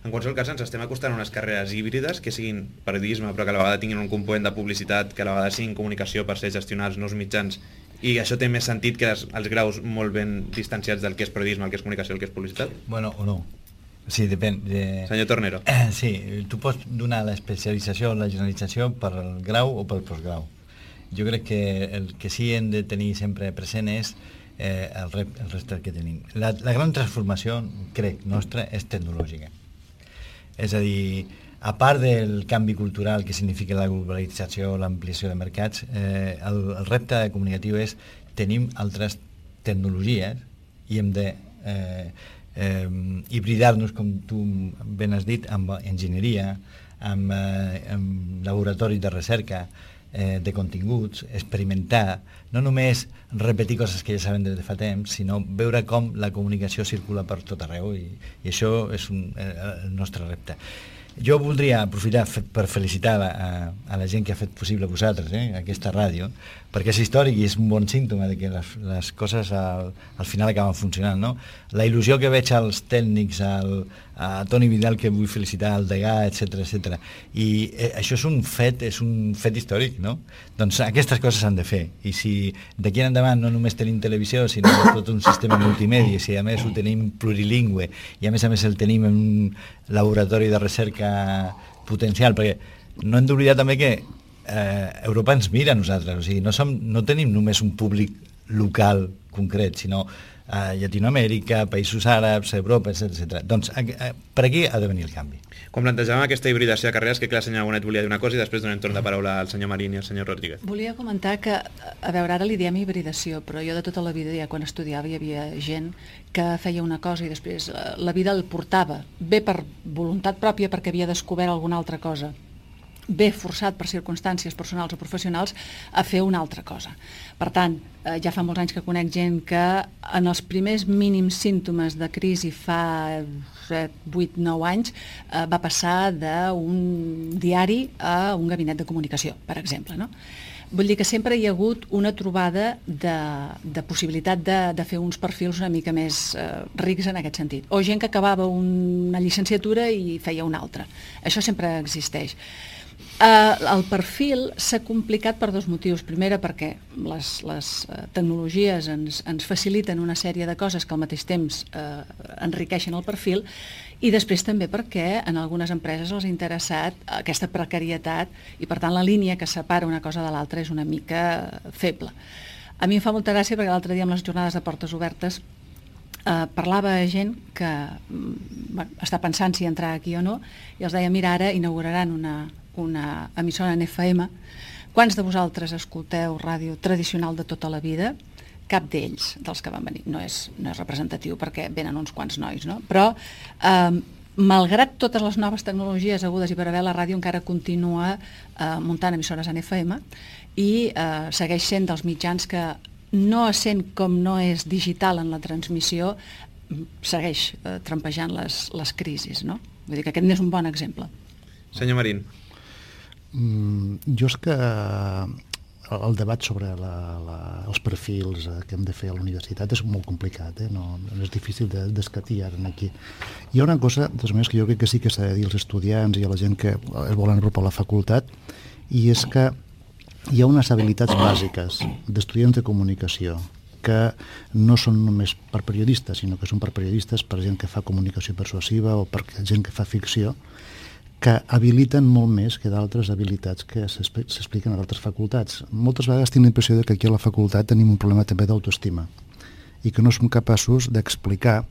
En qualsevol cas, ens estem acostant a unes carreres híbrides que siguin periodisme, però que a la vegada tinguin un component de publicitat, que a la vegada siguin comunicació per ser gestionar els nous mitjans, i això té més sentit que els graus molt ben distanciats del que és periodisme, el que és comunicació, el que és publicitat? Bueno, o no. Sí, depèn. Senyor Tornero. Sí, tu pots donar l'especialització o la generalització per al grau o pel postgrau. Jo crec que el que sí hem de tenir sempre present és el repte que tenim. La gran transformació, crec, nostra, és tecnològica. És a dir, a part del canvi cultural que significa la globalització, l'ampliació de mercats, el repte comunicatiu és tenim altres tecnologies i hem de hibridar-nos, com tu ben has dit, amb enginyeria, amb laboratoris de recerca, de continguts, experimentar, no només repetir coses que ja sabem des de fa temps, sinó veure com la comunicació circula per tot arreu i això és el nostre repte. Jo voldria aprofitar per felicitar a la gent que ha fet possible vosaltres, aquesta ràdio, perquè és històric i és un bon símptoma de que les coses al final acaben funcionant, no? La il·lusió que veig als tècnics, a Toni Vidal, que vull felicitar, al Degà, etc. I això és un fet històric, no? Doncs aquestes coses s'han de fer. I si d'aquí en endavant no només tenim televisió, sinó tot un sistema multimèdia, si a més ho tenim plurilingüe i a més el tenim en un laboratori de recerca potencial, perquè no hem d'oblidar també que Europa ens mira a nosaltres, o sigui, no tenim només un públic local concret, sinó Llatinoamèrica, països àrabs, Europa, etc. Doncs per aquí ha de venir el canvi. Quan plantejàvem aquesta hibridació de carreres, que clar, el senyor Bonet volia dir una cosa i després donem torn de paraula al senyor Marín i al senyor Rodríguez. Volia comentar que, a veure, ara li diem hibridació, però jo de tota la vida, ja quan estudiava, hi havia gent que feia una cosa i després la vida el portava, bé per voluntat pròpia perquè havia descobert alguna altra cosa, bé forçat per circumstàncies personals o professionals a fer una altra cosa. Per tant, ja fa molts anys que conec gent que en els primers mínims símptomes de crisi fa 7, 8, 9 anys va passar d'un diari a un gabinet de comunicació, per exemple, no? Vull dir que sempre hi ha hagut una trobada de possibilitat de fer uns perfils una mica més rics en aquest sentit. O gent que acabava una llicenciatura i feia una altra. Això sempre existeix. El perfil s'ha complicat per dos motius. Primera, perquè les tecnologies ens faciliten una sèrie de coses que al mateix temps enriqueixen el perfil, i després també perquè en algunes empreses els ha interessat aquesta precarietat i per tant la línia que separa una cosa de l'altra és una mica feble. A mi em fa molta gràcia perquè l'altre dia amb les jornades de portes obertes parlava gent que està pensant si entrar aquí o no i els deia, mira, ara inauguraran una emissora en FM. Quants de vosaltres escolteu ràdio tradicional de tota la vida? cap d'ells, dels que van venir. No és representatiu perquè venen uns quants nois, no? Però, malgrat totes les noves tecnologies agudes i per haver, la ràdio encara continua muntant emissores en FM i segueix sent dels mitjans que, no essent com no és digital en la transmissió, segueix trampejant les crisis, no? Vull dir que aquest n'és un bon exemple. Senyor Marín. Jo és que el debat sobre els perfils que hem de fer a la universitat és molt complicat, no és difícil d'escatir ara aquí. Hi ha una cosa, de totes maneres, que jo crec que sí que s'ha de dir als estudiants i a la gent que es volen apropar a la facultat, i és que hi ha unes habilitats bàsiques d'estudiants de comunicació que no són només per periodistes, sinó que són per periodistes, per gent que fa comunicació persuasiva o per gent que fa ficció, que habiliten molt més que d'altres habilitats que s'expliquen a d'altres facultats. Moltes vegades tinc la impressió que aquí a la facultat tenim un problema també d'autoestima i que no som capaços d'explicar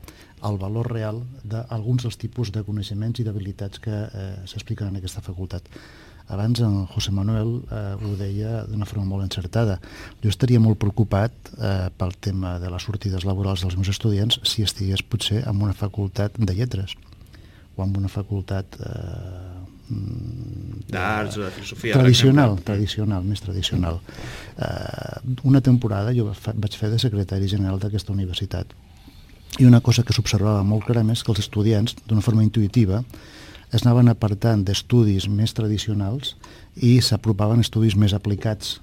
el valor real d'alguns dels tipus de coneixements i d'habilitats que s'expliquen en aquesta facultat. Abans en José Manuel ho deia d'una forma molt encertada. Jo estaria molt preocupat pel tema de les sortides laborals dels meus estudiants si estigués potser en una facultat de lletres o en una facultat d'arts o de filosofia tradicional, més tradicional. Una temporada jo vaig fer de secretari general d'aquesta universitat i una cosa que s'observava molt clarament és que els estudiants, d'una forma intuïtiva, es anaven apartant d'estudis més tradicionals i s'apropaven a estudis més aplicats.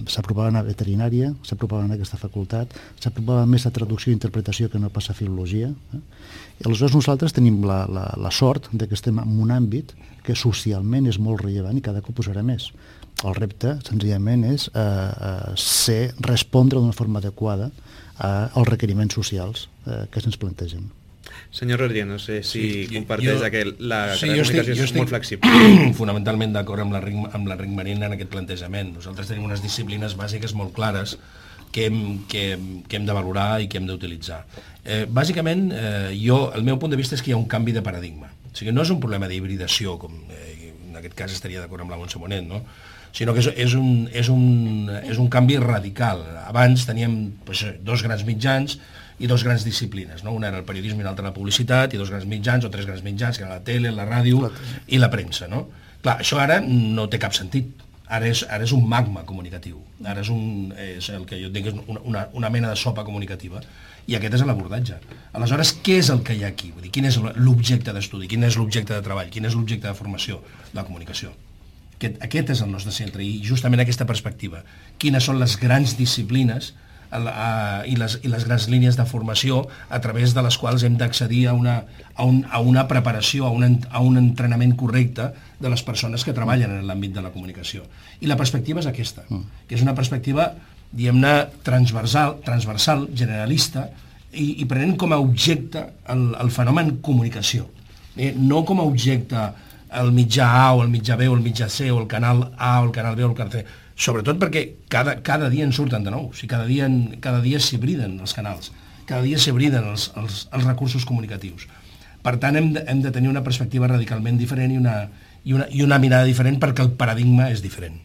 S'apropaven a veterinària, s'apropaven a aquesta facultat, s'apropava més a traducció i interpretació que no pas a filologia. I aleshores nosaltres tenim la sort que estem en un àmbit que socialment és molt rellevant i cada cop ho serà més. El repte, senzillament, és respondre d'una forma adequada als requeriments socials que se'ns plantegen. Senyor Rodríguez, no sé si comparteix que la comunicació és molt flexible. Fonamentalment d'acord amb l'Enric Marín en aquest plantejament. Nosaltres tenim unes disciplines bàsiques molt clares que hem de valorar i que hem d'utilitzar. Bàsicament, el meu punt de vista és que hi ha un canvi de paradigma. O sigui, no és un problema d'hibridació, com en aquest cas estaria d'acord amb la Montse Bonet, no? Sinó que és un canvi radical. Abans teníem dos grans mitjans i dos grans disciplines, no? Una era el periodisme i l'altra la publicitat, i dos grans mitjans o tres grans mitjans, que era la tele, la ràdio i la premsa, no? Clar, això ara no té cap sentit. Ara és un magma comunicatiu. Ara és el que jo dic és una mena de sopa comunicativa. I aquest és l'abordatge. Aleshores, què és el que hi ha aquí? Vull dir, quin és l'objecte d'estudi? Quin és l'objecte de treball? Quin és l'objecte de formació? La comunicació. Aquest és el nostre centre, i justament aquesta perspectiva. Quines són les grans disciplines i les grans línies de formació a través de les quals hem d'accedir a una preparació, a un entrenament correcte de les persones que treballen en l'àmbit de la comunicació. I la perspectiva és aquesta, que és una perspectiva, diguem-ne, transversal, generalista, i prenent com a objecte el fenomen comunicació. No com a objecte el mitjà A o el mitjà B o el mitjà C o el canal A o el canal B o el canal C, sobretot perquè cada dia en surten de nou, o sigui, cada dia s'hibriden els canals, cada dia s'hibriden els recursos comunicatius. Per tant, hem de tenir una perspectiva radicalment diferent i una mirada diferent perquè el paradigma és diferent.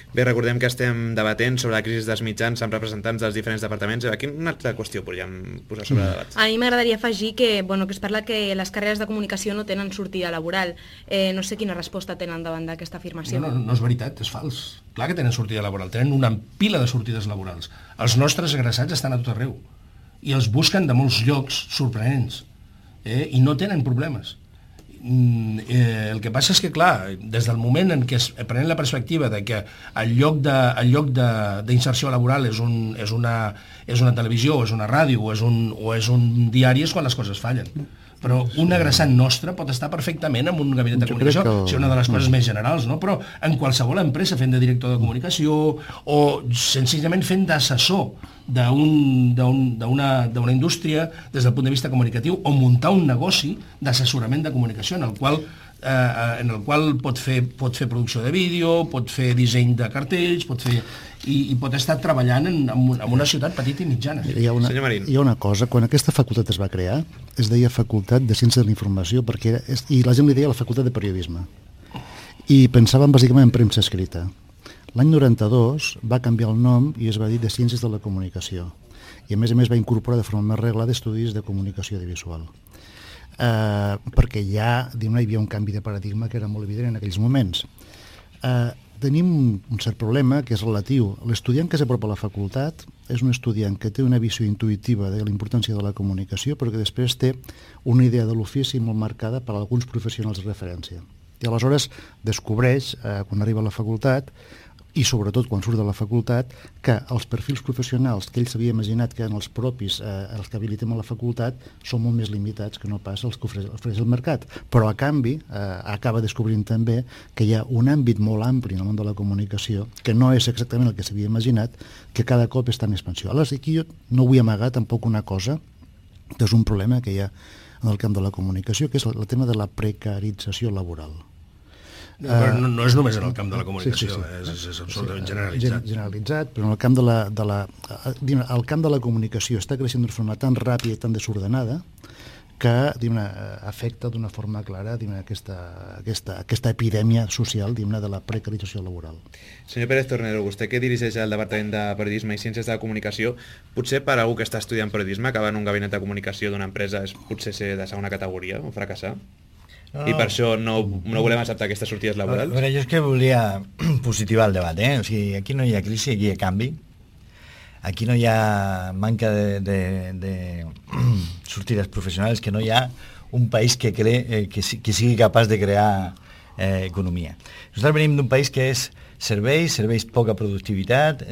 Bé, recordem que estem debatent sobre la crisi dels mitjans amb representants dels diferents departaments. Quina altra qüestió podríem posar sobre debat? A mi m'agradaria afegir que es parla que les carreres de comunicació no tenen sortida laboral. No sé quina resposta tenen davant d'aquesta afirmació. No és veritat, és fals. Clar que tenen sortida laboral, tenen una pila de sortides laborals. Els nostres egressats estan a tot arreu i els busquen de molts llocs sorprenents i no tenen problemes. El que passa és que, clar, des del moment en què es pren la perspectiva de que el lloc d'inserció laboral és una televisió, o és una ràdio, o és un diari, és quan les coses fallen. Però un egressat nostre pot estar perfectament en un gabinet de comunicació, és una de les coses més generals, no? Però en qualsevol empresa fent de director de comunicació o senzillament fent d'assessor d'una indústria des del punt de vista comunicatiu o muntar un negoci d'assessorament de comunicació en el qual pot fer producció de vídeo, pot fer disseny de cartells, i pot estar treballant en una ciutat petita i mitjana. Hi ha una cosa, quan aquesta facultat es va crear, es deia Facultat de Ciències de la Informació, i la gent li deia la Facultat de Periodisme. I pensaven bàsicament en premsa escrita. L'any 92 va canviar el nom i es va dir de Ciències de la Comunicació. I a més va incorporar de forma més reglada estudis de comunicació audiovisual. Perquè ja hi havia un canvi de paradigma que era molt evident en aquells moments. Tenim un cert problema que és relatiu. L'estudiant que s'apropa a la facultat és un estudiant que té una visió intuïtiva de la importància de la comunicació, però que després té una idea de l'ofici molt marcada per alguns professionals de referència. I aleshores descobreix, quan arriba a la facultat, i sobretot quan surt de la facultat, que els perfils professionals que ell s'havia imaginat que eren els propis, els que habilitem a la facultat, són molt més limitats que no pas els que ofereix el mercat. Però a canvi acaba descobrint també que hi ha un àmbit molt ampli en el món de la comunicació, que no és exactament el que s'havia imaginat, que cada cop està en expansió. Aleshores, aquí jo no vull amagar tampoc una cosa, que és un problema que hi ha en el camp de la comunicació, que és el tema de la precarització laboral. No és només en el camp de la comunicació, és absolutament generalitzat. Generalitzat, però en el camp el camp de la comunicació està creixent d'una forma tan ràpida i tan desordenada que afecta d'una forma clara aquesta epidèmia social de la precarització laboral. Senyor Pérez Tornero, vostè que dirigeix el Departament de Periodisme i Ciències de la Comunicació, potser per a algú que està estudiant periodisme, acabar en un gabinet de comunicació d'una empresa és potser ser de segona categoria o fracassar? I per això no volem acceptar aquestes sortides laborals? Jo és que volia positivar el debat, O sigui, aquí no hi ha crisi, aquí hi ha canvi. Aquí no hi ha manca de sortides professionals, que no hi ha un país que sigui capaç de crear economia. Nosaltres venim d'un país que és serveis, poca productivitat,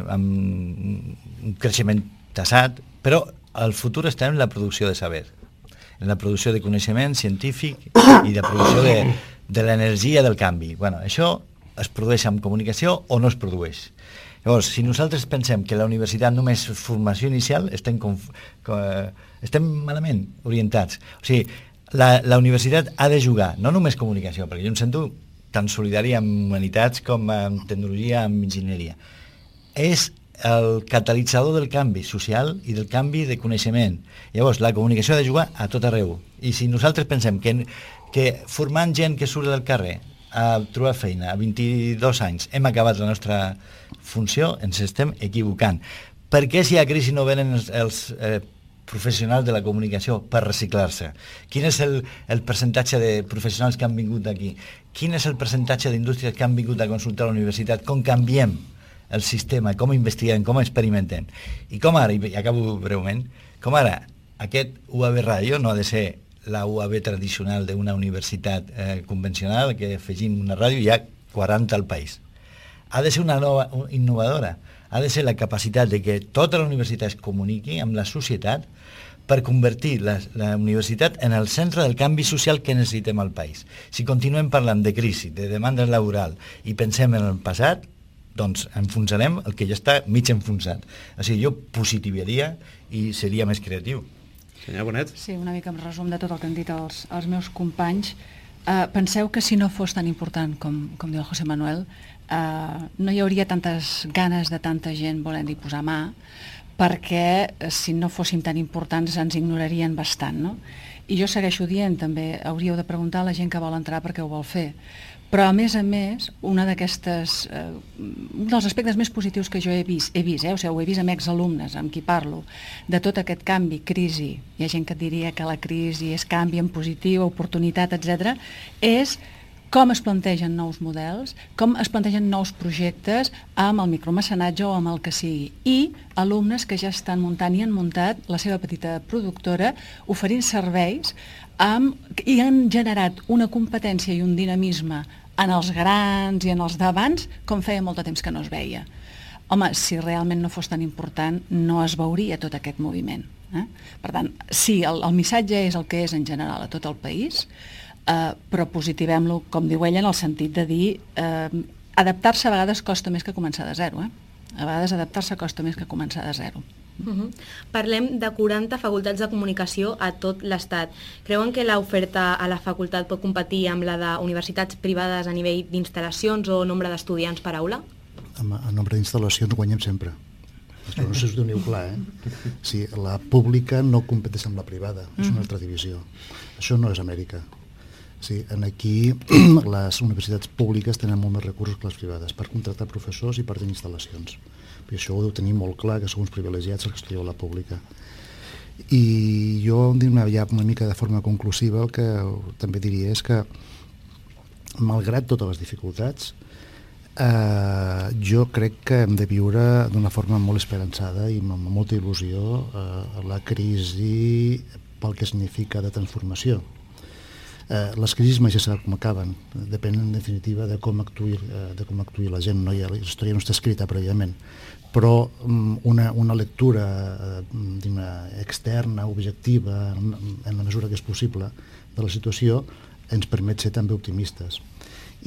amb un creixement tassat, però el futur està en la producció de saber, en la producció de coneixement científic i de producció de l'energia del canvi. Bueno, això es produeix amb comunicació o no es produeix. Llavors, si nosaltres pensem que la universitat només és formació inicial, estem malament orientats. O sigui, la universitat ha de jugar, no només comunicació, perquè jo em sento tan solidari amb humanitats com amb tecnologia, amb enginyeria. És el catalitzador del canvi social i del canvi de coneixement. Llavors, la comunicació ha de jugar a tot arreu. I si nosaltres pensem que formant gent que surt del carrer a trobar feina a 22 anys hem acabat la nostra funció, ens estem equivocant. Per què si hi ha crisi no venen els professionals de la comunicació per reciclar-se? Quin és el percentatge de professionals que han vingut aquí? Quin és el percentatge d'indústries que han vingut a consultar a la universitat? Com canviem el sistema, com investiguem, com experimentem. I com ara, i acabo breument, com ara aquest UAB Ràdio no ha de ser la UAB tradicional d'una universitat convencional, que afegim una ràdio, hi ha 40 al país. Ha de ser una nova innovadora, ha de ser la capacitat de que tota la universitat es comuniqui amb la societat per convertir la universitat en el centre del canvi social que necessitem al país. Si continuem parlant de crisi, de demanda laboral i pensem en el passat, doncs enfonsarem el que ja està mig enfonsat. O sigui, jo positivaria i seria més creatiu. Senyor Bonet? Sí, una mica en resum de tot el que han dit els meus companys. Penseu que si no fos tan important, com diu el José Manuel, no hi hauria tantes ganes de tanta gent volent-hi posar mà, perquè si no fóssim tan importants ens ignorarien bastant, no? I jo segueixo dient, també hauríeu de preguntar a la gent que vol entrar per què ho vol fer. Però, a més, un dels aspectes més positius que jo he vist, ho he vist amb exalumnes amb qui parlo, de tot aquest canvi, crisi, hi ha gent que et diria que la crisi és canvi en positiu, oportunitat, etc., és com es plantegen nous models, com es plantegen nous projectes amb el micromecenatge o amb el que sigui. I alumnes que ja estan muntant i han muntat la seva petita productora oferint serveis i han generat una competència i un dinamisme en els grans i en els d'abans com feia molt de temps que no es veia. Home, si realment no fos tan important, no es veuria tot aquest moviment. Per tant, sí, el missatge és el que és en general a tot el país, però positivem-lo, com diu ella, en el sentit de dir adaptar-se a vegades costa més que començar de zero. A vegades adaptar-se costa més que començar de zero. Parlem de 40 facultats de comunicació a tot l'Estat. Creuen que l'oferta a la facultat pot competir amb la d'universitats privades a nivell d'instal·lacions o nombre d'estudiants per aula? A nombre d'instal·lacions guanyem sempre. Però no sé si us doneu clar, Sí, la pública no competeix amb la privada, és una altra divisió. Això no és Amèrica. Sí, aquí les universitats públiques tenen molt més recursos que les privades per contractar professors i per tenir instal·lacions. I això ho deu tenir molt clar, que sou uns privilegiats els que estudieu a la pública. I jo, ja una mica de forma conclusiva, el que també diria és que, malgrat totes les dificultats, jo crec que hem de viure d'una forma molt esperançada i amb molta il·lusió la crisi pel que significa de transformació. Les crisis mai se sap com acaben, depèn en definitiva de com actuï la gent, no? La història no està escrita prèviament, però una lectura externa, objectiva, en la mesura que és possible, de la situació ens permet ser també optimistes.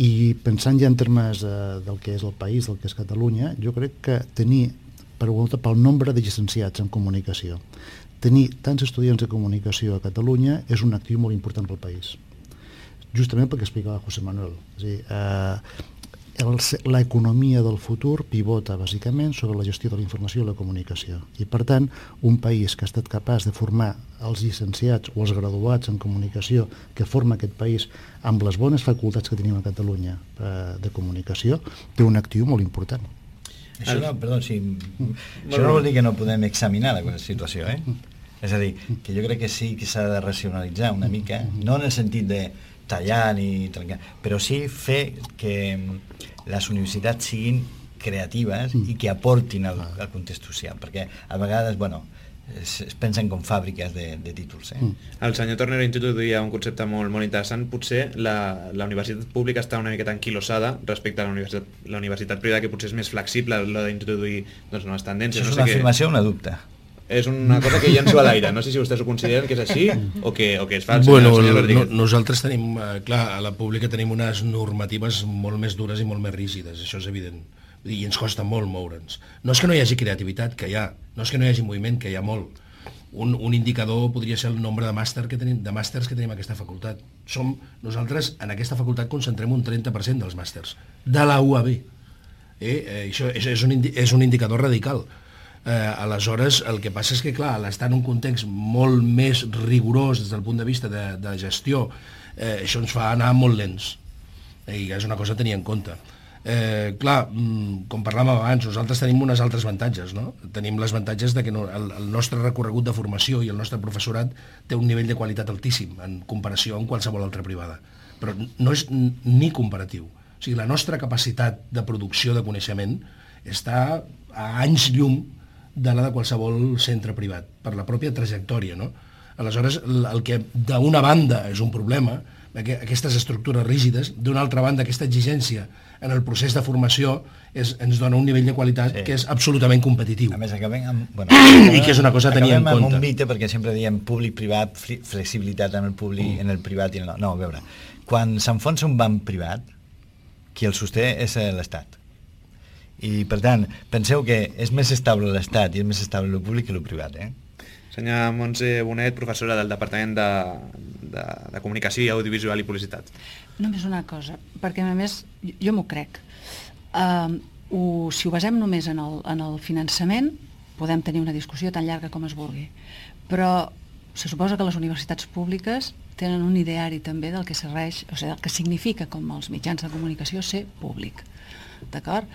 I pensant ja en termes del que és el país, del que és Catalunya, jo crec que tenir, pel nombre de llicenciats en comunicació, tenir tants estudiants de comunicació a Catalunya és un actiu molt important pel país. Justament perquè explicava José Manuel. És a dir, l'economia del futur pivota bàsicament sobre la gestió de la informació i la comunicació. I per tant, un país que ha estat capaç de formar els llicenciats o els graduats en comunicació que forma aquest país amb les bones facultats que tenim a Catalunya de comunicació, té un actiu molt important. Això no, perdó, això no vol dir que no podem examinar la situació, És a dir, que jo crec que sí que s'ha de racionalitzar una mica, no en el sentit de tallar ni trencar, però sí fer que les universitats siguin creatives i que aportin al context social, perquè a vegades, es pensen com fàbriques de títols. El senyor Tornero introduïa un concepte molt interessant. Potser la universitat pública està una miqueta enquilosada respecte a la universitat privada, que potser és més flexible a l'hora d'introduir noves tendències. Això és una afirmació o una dubte? És una cosa que llenço a l'aire. No sé si vostès ho consideren que és així o que és fals. Nosaltres tenim, clar, a la pública tenim unes normatives molt més dures i molt més rígides, això és evident. I ens costa molt moure'ns. No és que no hi hagi creativitat, que hi ha. No és que no hi hagi moviment, que hi ha molt. Un indicador podria ser el nombre de màsters que tenim a aquesta facultat. Nosaltres en aquesta facultat concentrem un 30% dels màsters de la UAB. Això és un indicador radical. Aleshores, el que passa és que, clar, al estar en un context molt més rigorós des del punt de vista de gestió, això ens fa anar molt lents. I és una cosa a tenir en compte. Clar, com parlàvem abans, nosaltres tenim unes altres avantatges, no? Tenim les avantatges de que el nostre recorregut de formació i el nostre professorat té un nivell de qualitat altíssim en comparació amb qualsevol altra privada, però no és ni comparatiu. O sigui, la nostra capacitat de producció de coneixement està a anys llum de la de qualsevol centre privat, per la pròpia trajectòria, no? Aleshores, el que d'una banda és un problema, aquestes estructures rígides, d'una altra banda aquesta exigència en el procés de formació ens dona un nivell de qualitat que és absolutament competitiu. A més, acabem amb... I que és una cosa a tenir en compte. Acabem amb un mite, perquè sempre diem públic-privat, flexibilitat en el públic, en el privat i en el... No, a veure, quan s'enfonsa un banc privat, qui el sosté és l'Estat. I, per tant, penseu que és més estable l'Estat i és més estable el públic que el privat, Senyora Montse Bonet, professora del Departament de Comunicació i Audiovisual i Publicitat. Només una cosa, perquè a més jo m'ho crec. Si ho basem només en el finançament, podem tenir una discussió tan llarga com es vulgui. Però se suposa que les universitats públiques tenen un ideari també del que serveix, o sigui, del que significa com els mitjans de comunicació ser públic. D'acord?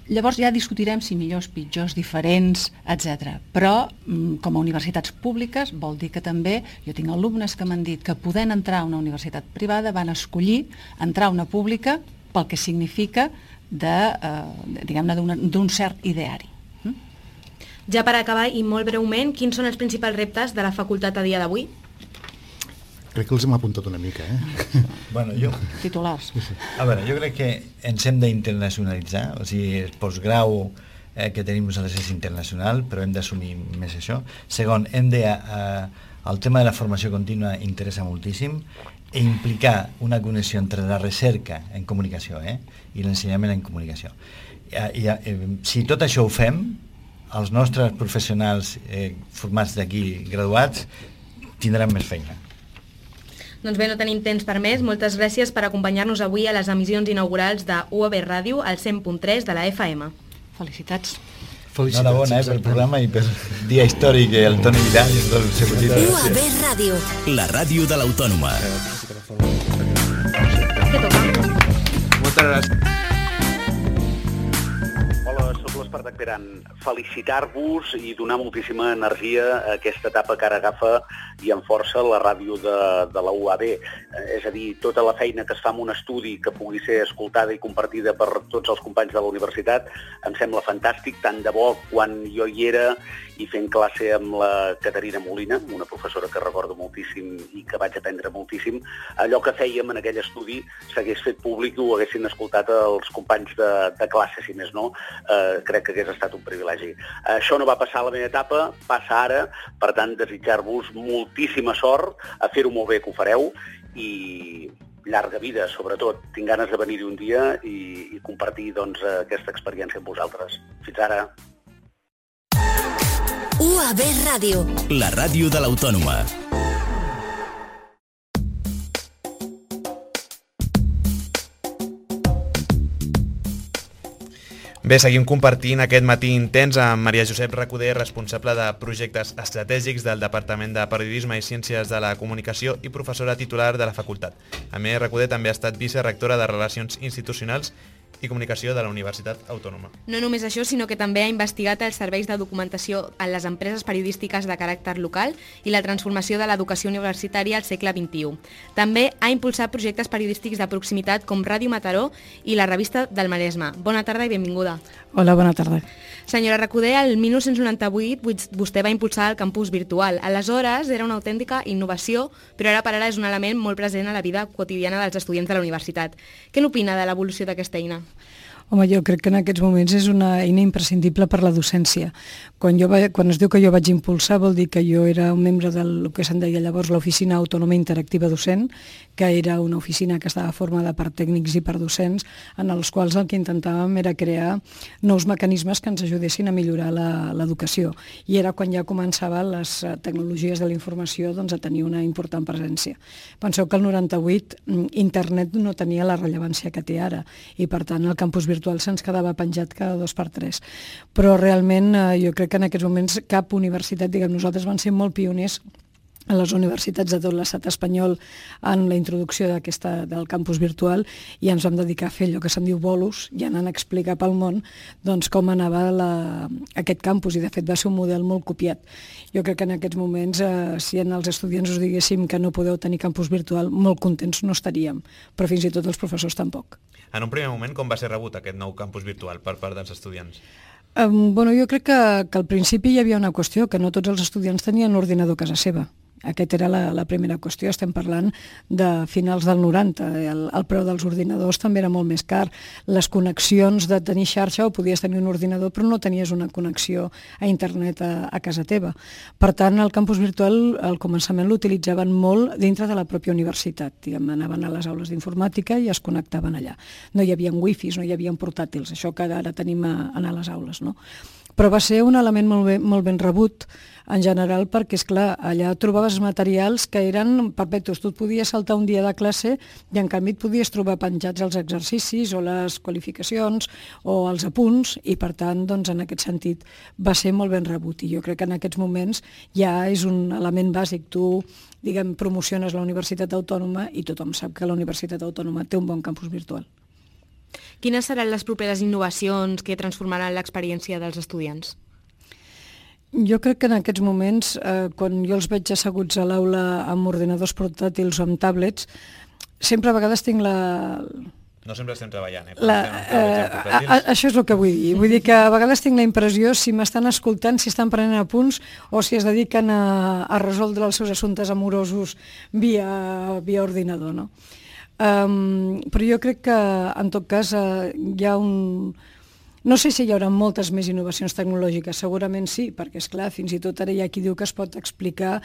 Llavors ja discutirem si millors, pitjors, diferents, etc. Però com a universitats públiques vol dir que també, jo tinc alumnes que m'han dit que podent entrar a una universitat privada van escollir entrar a una pública pel que significa d'un cert ideari. Ja per acabar, i molt breument, quins són els principals reptes de la facultat a dia d'avui? Crec que els hem apuntat una mica, Bueno, jo... Titulars. A veure, jo crec que ens hem d'internacionalitzar, o sigui, el postgrau que tenim nosaltres és internacional, però hem d'assumir més això. Segon, el tema de la formació contínua interessa moltíssim i implicar una connexió entre la recerca en comunicació i l'ensenyament en comunicació. Si tot això ho fem, els nostres professionals formats d'aquí, graduats, tindran més feina. Doncs bé, no tenim temps per més. Moltes gràcies per acompanyar-nos avui a les emissions inaugurals de UAB Ràdio al 100.3 de la FM. Felicitats. Enhorabona pel programa i per dia històric el Toni Vidal i tot el seu equip. UAB Ràdio. La ràdio de l'Autònoma. Moltes gràcies. Hola, sóc l'Espartac Peran. Felicitar-vos i donar moltíssima energia a aquesta etapa que ara agafa i amb força la ràdio de la UAB. És a dir, tota la feina que es fa en un estudi que pugui ser escoltada i compartida per tots els companys de la universitat em sembla fantàstic, tant de bo quan jo hi era i fent classe amb la Caterina Molina, una professora que recordo moltíssim i que vaig aprendre moltíssim, allò que fèiem en aquell estudi s'hagués fet públic i ho haguessin escoltat els companys de classe, si més no, crec que hagués estat un privilegi. Això no va passar a la meva etapa, passa ara, per tant, desitjar-vos moltíssima sort, a fer-ho molt bé que ho fareu i llarga vida, sobretot. Tinc ganes de venir-hi un dia i compartir doncs, aquesta experiència amb vosaltres. Fins ara. UAB Ràdio. La ràdio de l'Autònoma. Bé, seguim compartint aquest matí intens amb Maria Josep Recoder, responsable de projectes estratègics del Departament de Periodisme i Ciències de la Comunicació i professora titular de la facultat. A més, Recoder també ha estat vicerectora de Relacions Institucionals i Comunicació de la Universitat Autònoma. No només això, sinó que també ha investigat els serveis de documentació en les empreses periodístiques de caràcter local i la transformació de l'educació universitària al segle XXI. També ha impulsat projectes periodístics de proximitat com Ràdio Mataró i la revista del Maresme. Bona tarda i benvinguda. Hola, bona tarda. Senyora Recoder, el 1998 vostè va impulsar el campus virtual. Aleshores era una autèntica innovació, però ara per ara és un element molt present a la vida quotidiana dels estudiants de la universitat. Què n'opina de l'evolució d'aquesta eina? Home, jo crec que en aquests moments és una eina imprescindible per la docència. Quan es diu que jo vaig impulsar, vol dir que jo era un membre del que se'n deia llavors l'Oficina Autònoma Interactiva Docent, que era una oficina que estava formada per tècnics i per docents, en els quals el que intentàvem era crear nous mecanismes que ens ajudessin a millorar l'educació. I era quan ja començaven les tecnologies de la informació doncs, a tenir una important presència. Penseu que el 98 internet no tenia la rellevància que té ara, i per tant el campus virtual se'ns quedava penjat cada 2x3. Però realment jo crec que en aquests moments cap universitat, nosaltres vam ser molt pioners a les universitats de tot l'estat espanyol en la introducció del campus virtual i ens vam dedicar a fer allò que se'n diu bolos i anant a explicar pel món doncs, com anava aquest campus i de fet va ser un model molt copiat. Jo crec que en aquests moments si els estudiants us diguéssim que no podeu tenir campus virtual molt contents no estaríem, però fins i tot els professors tampoc. En un primer moment com va ser rebut aquest nou campus virtual per part dels estudiants? Jo crec que al principi hi havia una qüestió, que no tots els estudiants tenien un ordinador a casa seva. Aquesta era la primera qüestió, estem parlant de finals del 90, el preu dels ordinadors també era molt més car, les connexions de tenir xarxa o podies tenir un ordinador però no tenies una connexió a internet a casa teva. Per tant, el campus virtual al començament l'utilitzaven molt dintre de la pròpia universitat, anaven a les aules d'informàtica i es connectaven allà. No hi havia wifis, no hi havia portàtils, això que ara tenim a les aules, no? Però va ser un element molt ben rebut en general perquè, esclar, allà trobaves materials que eren perpetus. Tu et podies saltar un dia de classe i en canvi et podies trobar penjats els exercicis o les qualificacions o els apunts i per tant, doncs, en aquest sentit va ser molt ben rebut i jo crec que en aquests moments ja és un element bàsic. Tu, promociones la Universitat Autònoma i tothom sap que la Universitat Autònoma té un bon campus virtual. Quines seran les properes innovacions que transformaran l'experiència dels estudiants? Jo crec que en aquests moments, quan jo els veig asseguts a l'aula amb ordinadors portàtils o amb tablets, sempre a vegades tinc la... No sempre estem treballant, Això és el que vull dir. Vull dir que a vegades tinc la impressió si m'estan escoltant, si estan prenent apunts o si es dediquen a resoldre els seus assumptes amorosos via ordinador, no? Però jo crec que en tot cas hi ha no sé si hi haurà moltes més innovacions tecnològiques, segurament sí, perquè esclar, fins i tot ara hi ha qui diu que es pot explicar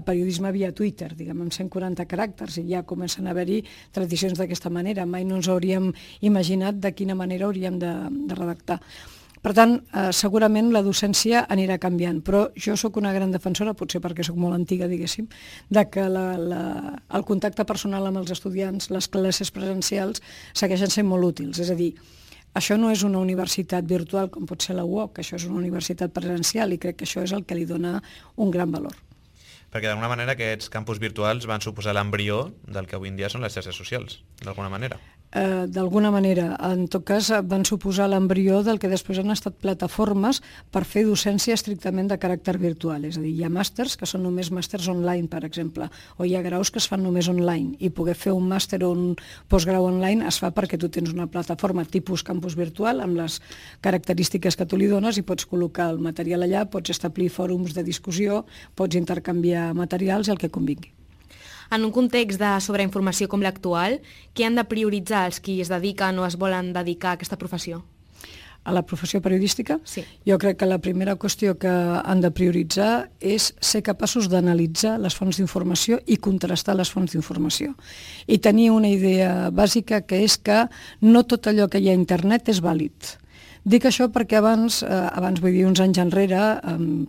periodisme via Twitter, amb 140 caràcters, i ja comencen a haver-hi tradicions d'aquesta manera. Mai no ens hauríem imaginat de quina manera hauríem de redactar. Per tant, segurament la docència anirà canviant, però jo sóc una gran defensora, potser perquè sóc molt antiga, diguéssim, de que el contacte personal amb els estudiants, les classes presencials, segueixen sent molt útils. És a dir, Això no és una universitat virtual com pot ser la UOC, això és una universitat presencial i crec que això és el que li dona un gran valor. Perquè d'alguna manera aquests campus virtuals van suposar l'embrió del que avui en dia són les xarxes socials, d'alguna manera. D'alguna manera, en tot cas van suposar l'embrió del que després han estat plataformes per fer docència estrictament de caràcter virtual, és a dir, hi ha màsters que són només màsters online, per exemple, o hi ha graus que es fan només online, i poder fer un màster o un postgrau online es fa perquè tu tens una plataforma tipus campus virtual amb les característiques que tu li dones i pots col·locar el material allà, pots establir fòrums de discussió, pots intercanviar materials i el que convingui. En un context de sobreinformació com l'actual, què han de prioritzar els qui es dediquen o es volen dedicar a aquesta professió? A la professió periodística? Sí. Jo crec que la primera qüestió que han de prioritzar és ser capaços d'analitzar les fonts d'informació i contrastar les fonts d'informació. I tenir una idea bàsica que és que no tot allò que hi ha a internet és vàlid. Dic això perquè abans vull dir, uns anys enrere,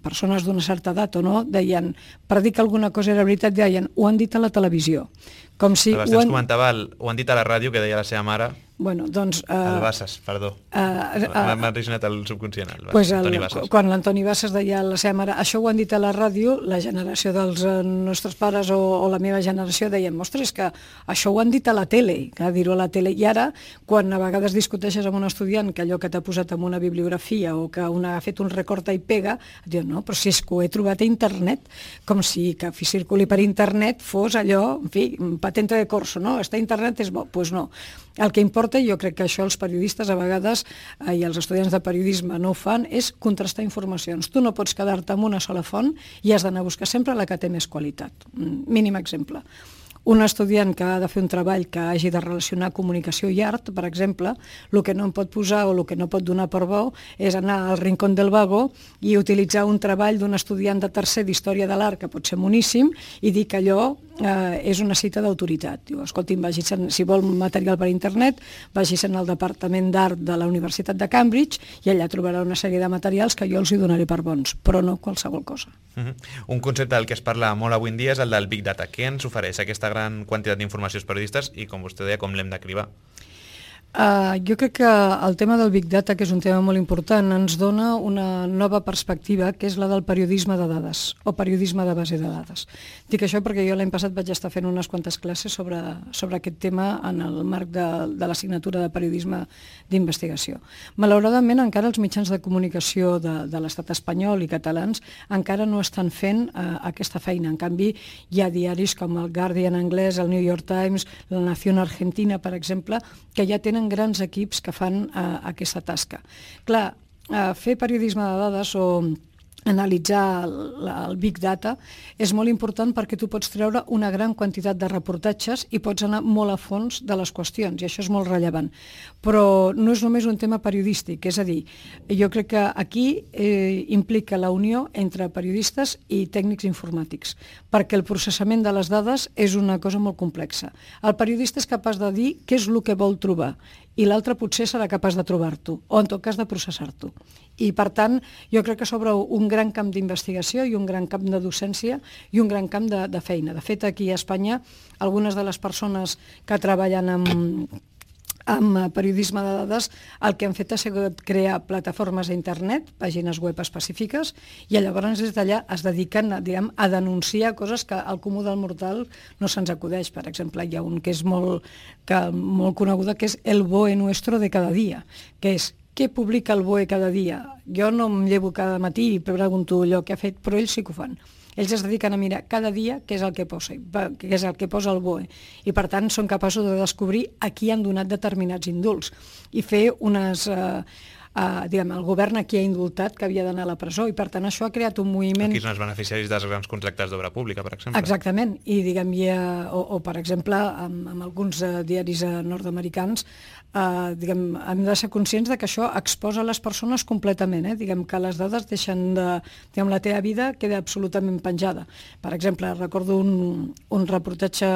persones d'una certa edat o no, deien, per dir que alguna cosa era veritat, deien, ho han dit a la televisió. Com si comentava, ho han dit a la ràdio, que deia la seva mare. Bueno, doncs... El Bassas, perdó. M'ha originat el subconscient, Toni Bassas. Quan l'Antoni Bassas deia a la seva mare, això ho han dit a la ràdio, la generació dels nostres pares o la meva generació deien, ostres, que això ho han dit a la tele, que dir-ho a la tele. I ara, quan a vegades discuteixes amb un estudiant que allò que t'ha posat en una bibliografia o que ha fet un recorta i pega, et diuen, no, però si és que ho he trobat a internet, com si que circuli per internet fos allò, en fi, patente de corso, no? Està a internet és bo. Doncs no. El que importa, jo crec que això els periodistes a vegades i els estudiants de periodisme no ho fan, és contrastar informacions. Tu no pots quedar-te amb una sola font i has d'anar a buscar sempre la que té més qualitat. Mínim exemple. Un estudiant que ha de fer un treball que hagi de relacionar comunicació i art, per exemple, el que no em pot posar o el que no pot donar per bo és anar al Rincón del Vago i utilitzar un treball d'un estudiant de tercer d'Història de l'Art, que pot ser moníssim, i dir que allò és una cita d'autoritat. Diu, escolti'm, si vol material per internet, vagis al Departament d'Art de la Universitat de Cambridge i allà trobarà una sèrie de materials que jo els hi donaré per bons, però no qualsevol cosa. Un concepte del que es parla molt avui en dia és el del Big Data. Què ens ofereix aquesta gran quantitat d'informacions periodistes i, com vostè deia, com l'hem de cribar? Jo crec que el tema del Big Data, que és un tema molt important, ens dona una nova perspectiva, que és la del periodisme de dades, o periodisme de base de dades. Dic això perquè jo l'any passat vaig estar fent unes quantes classes sobre aquest tema en el marc de l'assignatura de periodisme d'investigació. Malauradament, encara els mitjans de comunicació de l'estat espanyol i catalans encara no estan fent aquesta feina. En canvi, hi ha diaris com el Guardian anglès, el New York Times, la Nación Argentina, per exemple, que ja tenen grans equips que fan aquesta tasca. Clar, fer periodisme de dades o analitzar el Big Data és molt important perquè tu pots treure una gran quantitat de reportatges i pots anar molt a fons de les qüestions, i això és molt rellevant. Però no és només un tema periodístic, és a dir, jo crec que aquí implica la unió entre periodistes i tècnics informàtics, perquè el processament de les dades és una cosa molt complexa. El periodista és capaç de dir què és el que vol trobar, i l'altre potser serà capaç de trobar-t'ho, o en tot cas de processar-t'ho. I per tant, jo crec que s'obre un gran camp d'investigació i un gran camp de docència i un gran camp de feina. De fet, aquí a Espanya, algunes de les persones que treballen amb periodisme de dades, el que han fet ha sigut crear plataformes a internet, pàgines web específiques, i llavors des d'allà es dediquen a denunciar coses que al comú del mortal no se'ns acudeix. Per exemple, hi ha un que és molt coneguda, que és el BOE nuestro de cada dia, que és què publica el BOE cada dia. Jo no em llevo cada matí i pregunto allò que ha fet, però ells sí que ho fan. Ells es dediquen a mirar cada dia què és el que posa el BOE, i per tant són capaços de descobrir a qui han donat determinats indults i fer unes... el govern aquí ha indultat que havia d'anar a la presó, i per tant això ha creat un moviment... Aquí són els beneficiaris dels grans contractes d'obra pública, per exemple. Exactament, i o per exemple amb alguns diaris nord-americans hem de ser conscients de que això exposa les persones completament, que les dades deixen de... la teva vida queda absolutament penjada. Per exemple, recordo un reportatge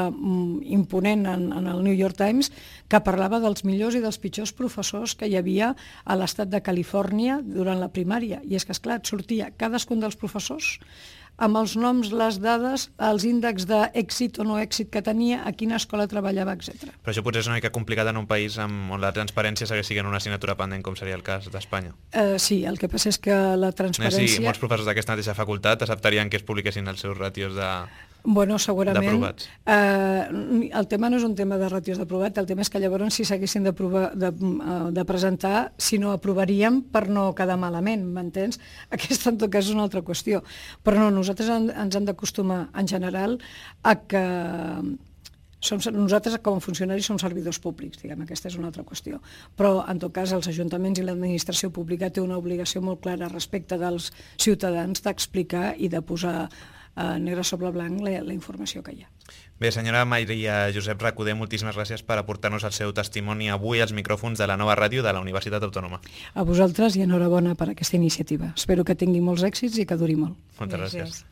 imponent en el New York Times que parlava dels millors i dels pitjors professors que hi havia a l'estat de Califòrnia durant la primària, i és que, esclar, et sortia cadascun dels professors amb els noms, les dades, els índexs d'èxit o no èxit que tenia, a quina escola treballava, etc. Però això potser és una mica complicat en un país on la transparència segueix sent una assignatura pendent, com seria el cas d'Espanya. Sí, el que passa és que la transparència... Sí, molts professors d'aquesta mateixa facultat acceptarien que es publiquessin els seus ràtios Bueno, segurament. D'aprovats. El tema no és un tema de ràtios d'aprovat, el tema és que llavors si s'haguessin de presentar, si no aprovaríem per no quedar malament, m'entens? Aquesta en tot cas és una altra qüestió. Però no, nosaltres ens hem d'acostumar en general a que nosaltres com a funcionaris som servidors públics, diguem, aquesta és una altra qüestió. Però en tot cas els ajuntaments i l'administració pública té una obligació molt clara respecte dels ciutadans d'explicar i de posar negre sobre blanc la informació que hi ha. Bé, senyora Maria Josep Recoder, moltíssimes gràcies per aportar-nos el seu testimoni avui als micròfons de la nova ràdio de la Universitat Autònoma. A vosaltres i enhorabona per aquesta iniciativa. Espero que tingui molts èxits i que duri molt. Moltes gràcies.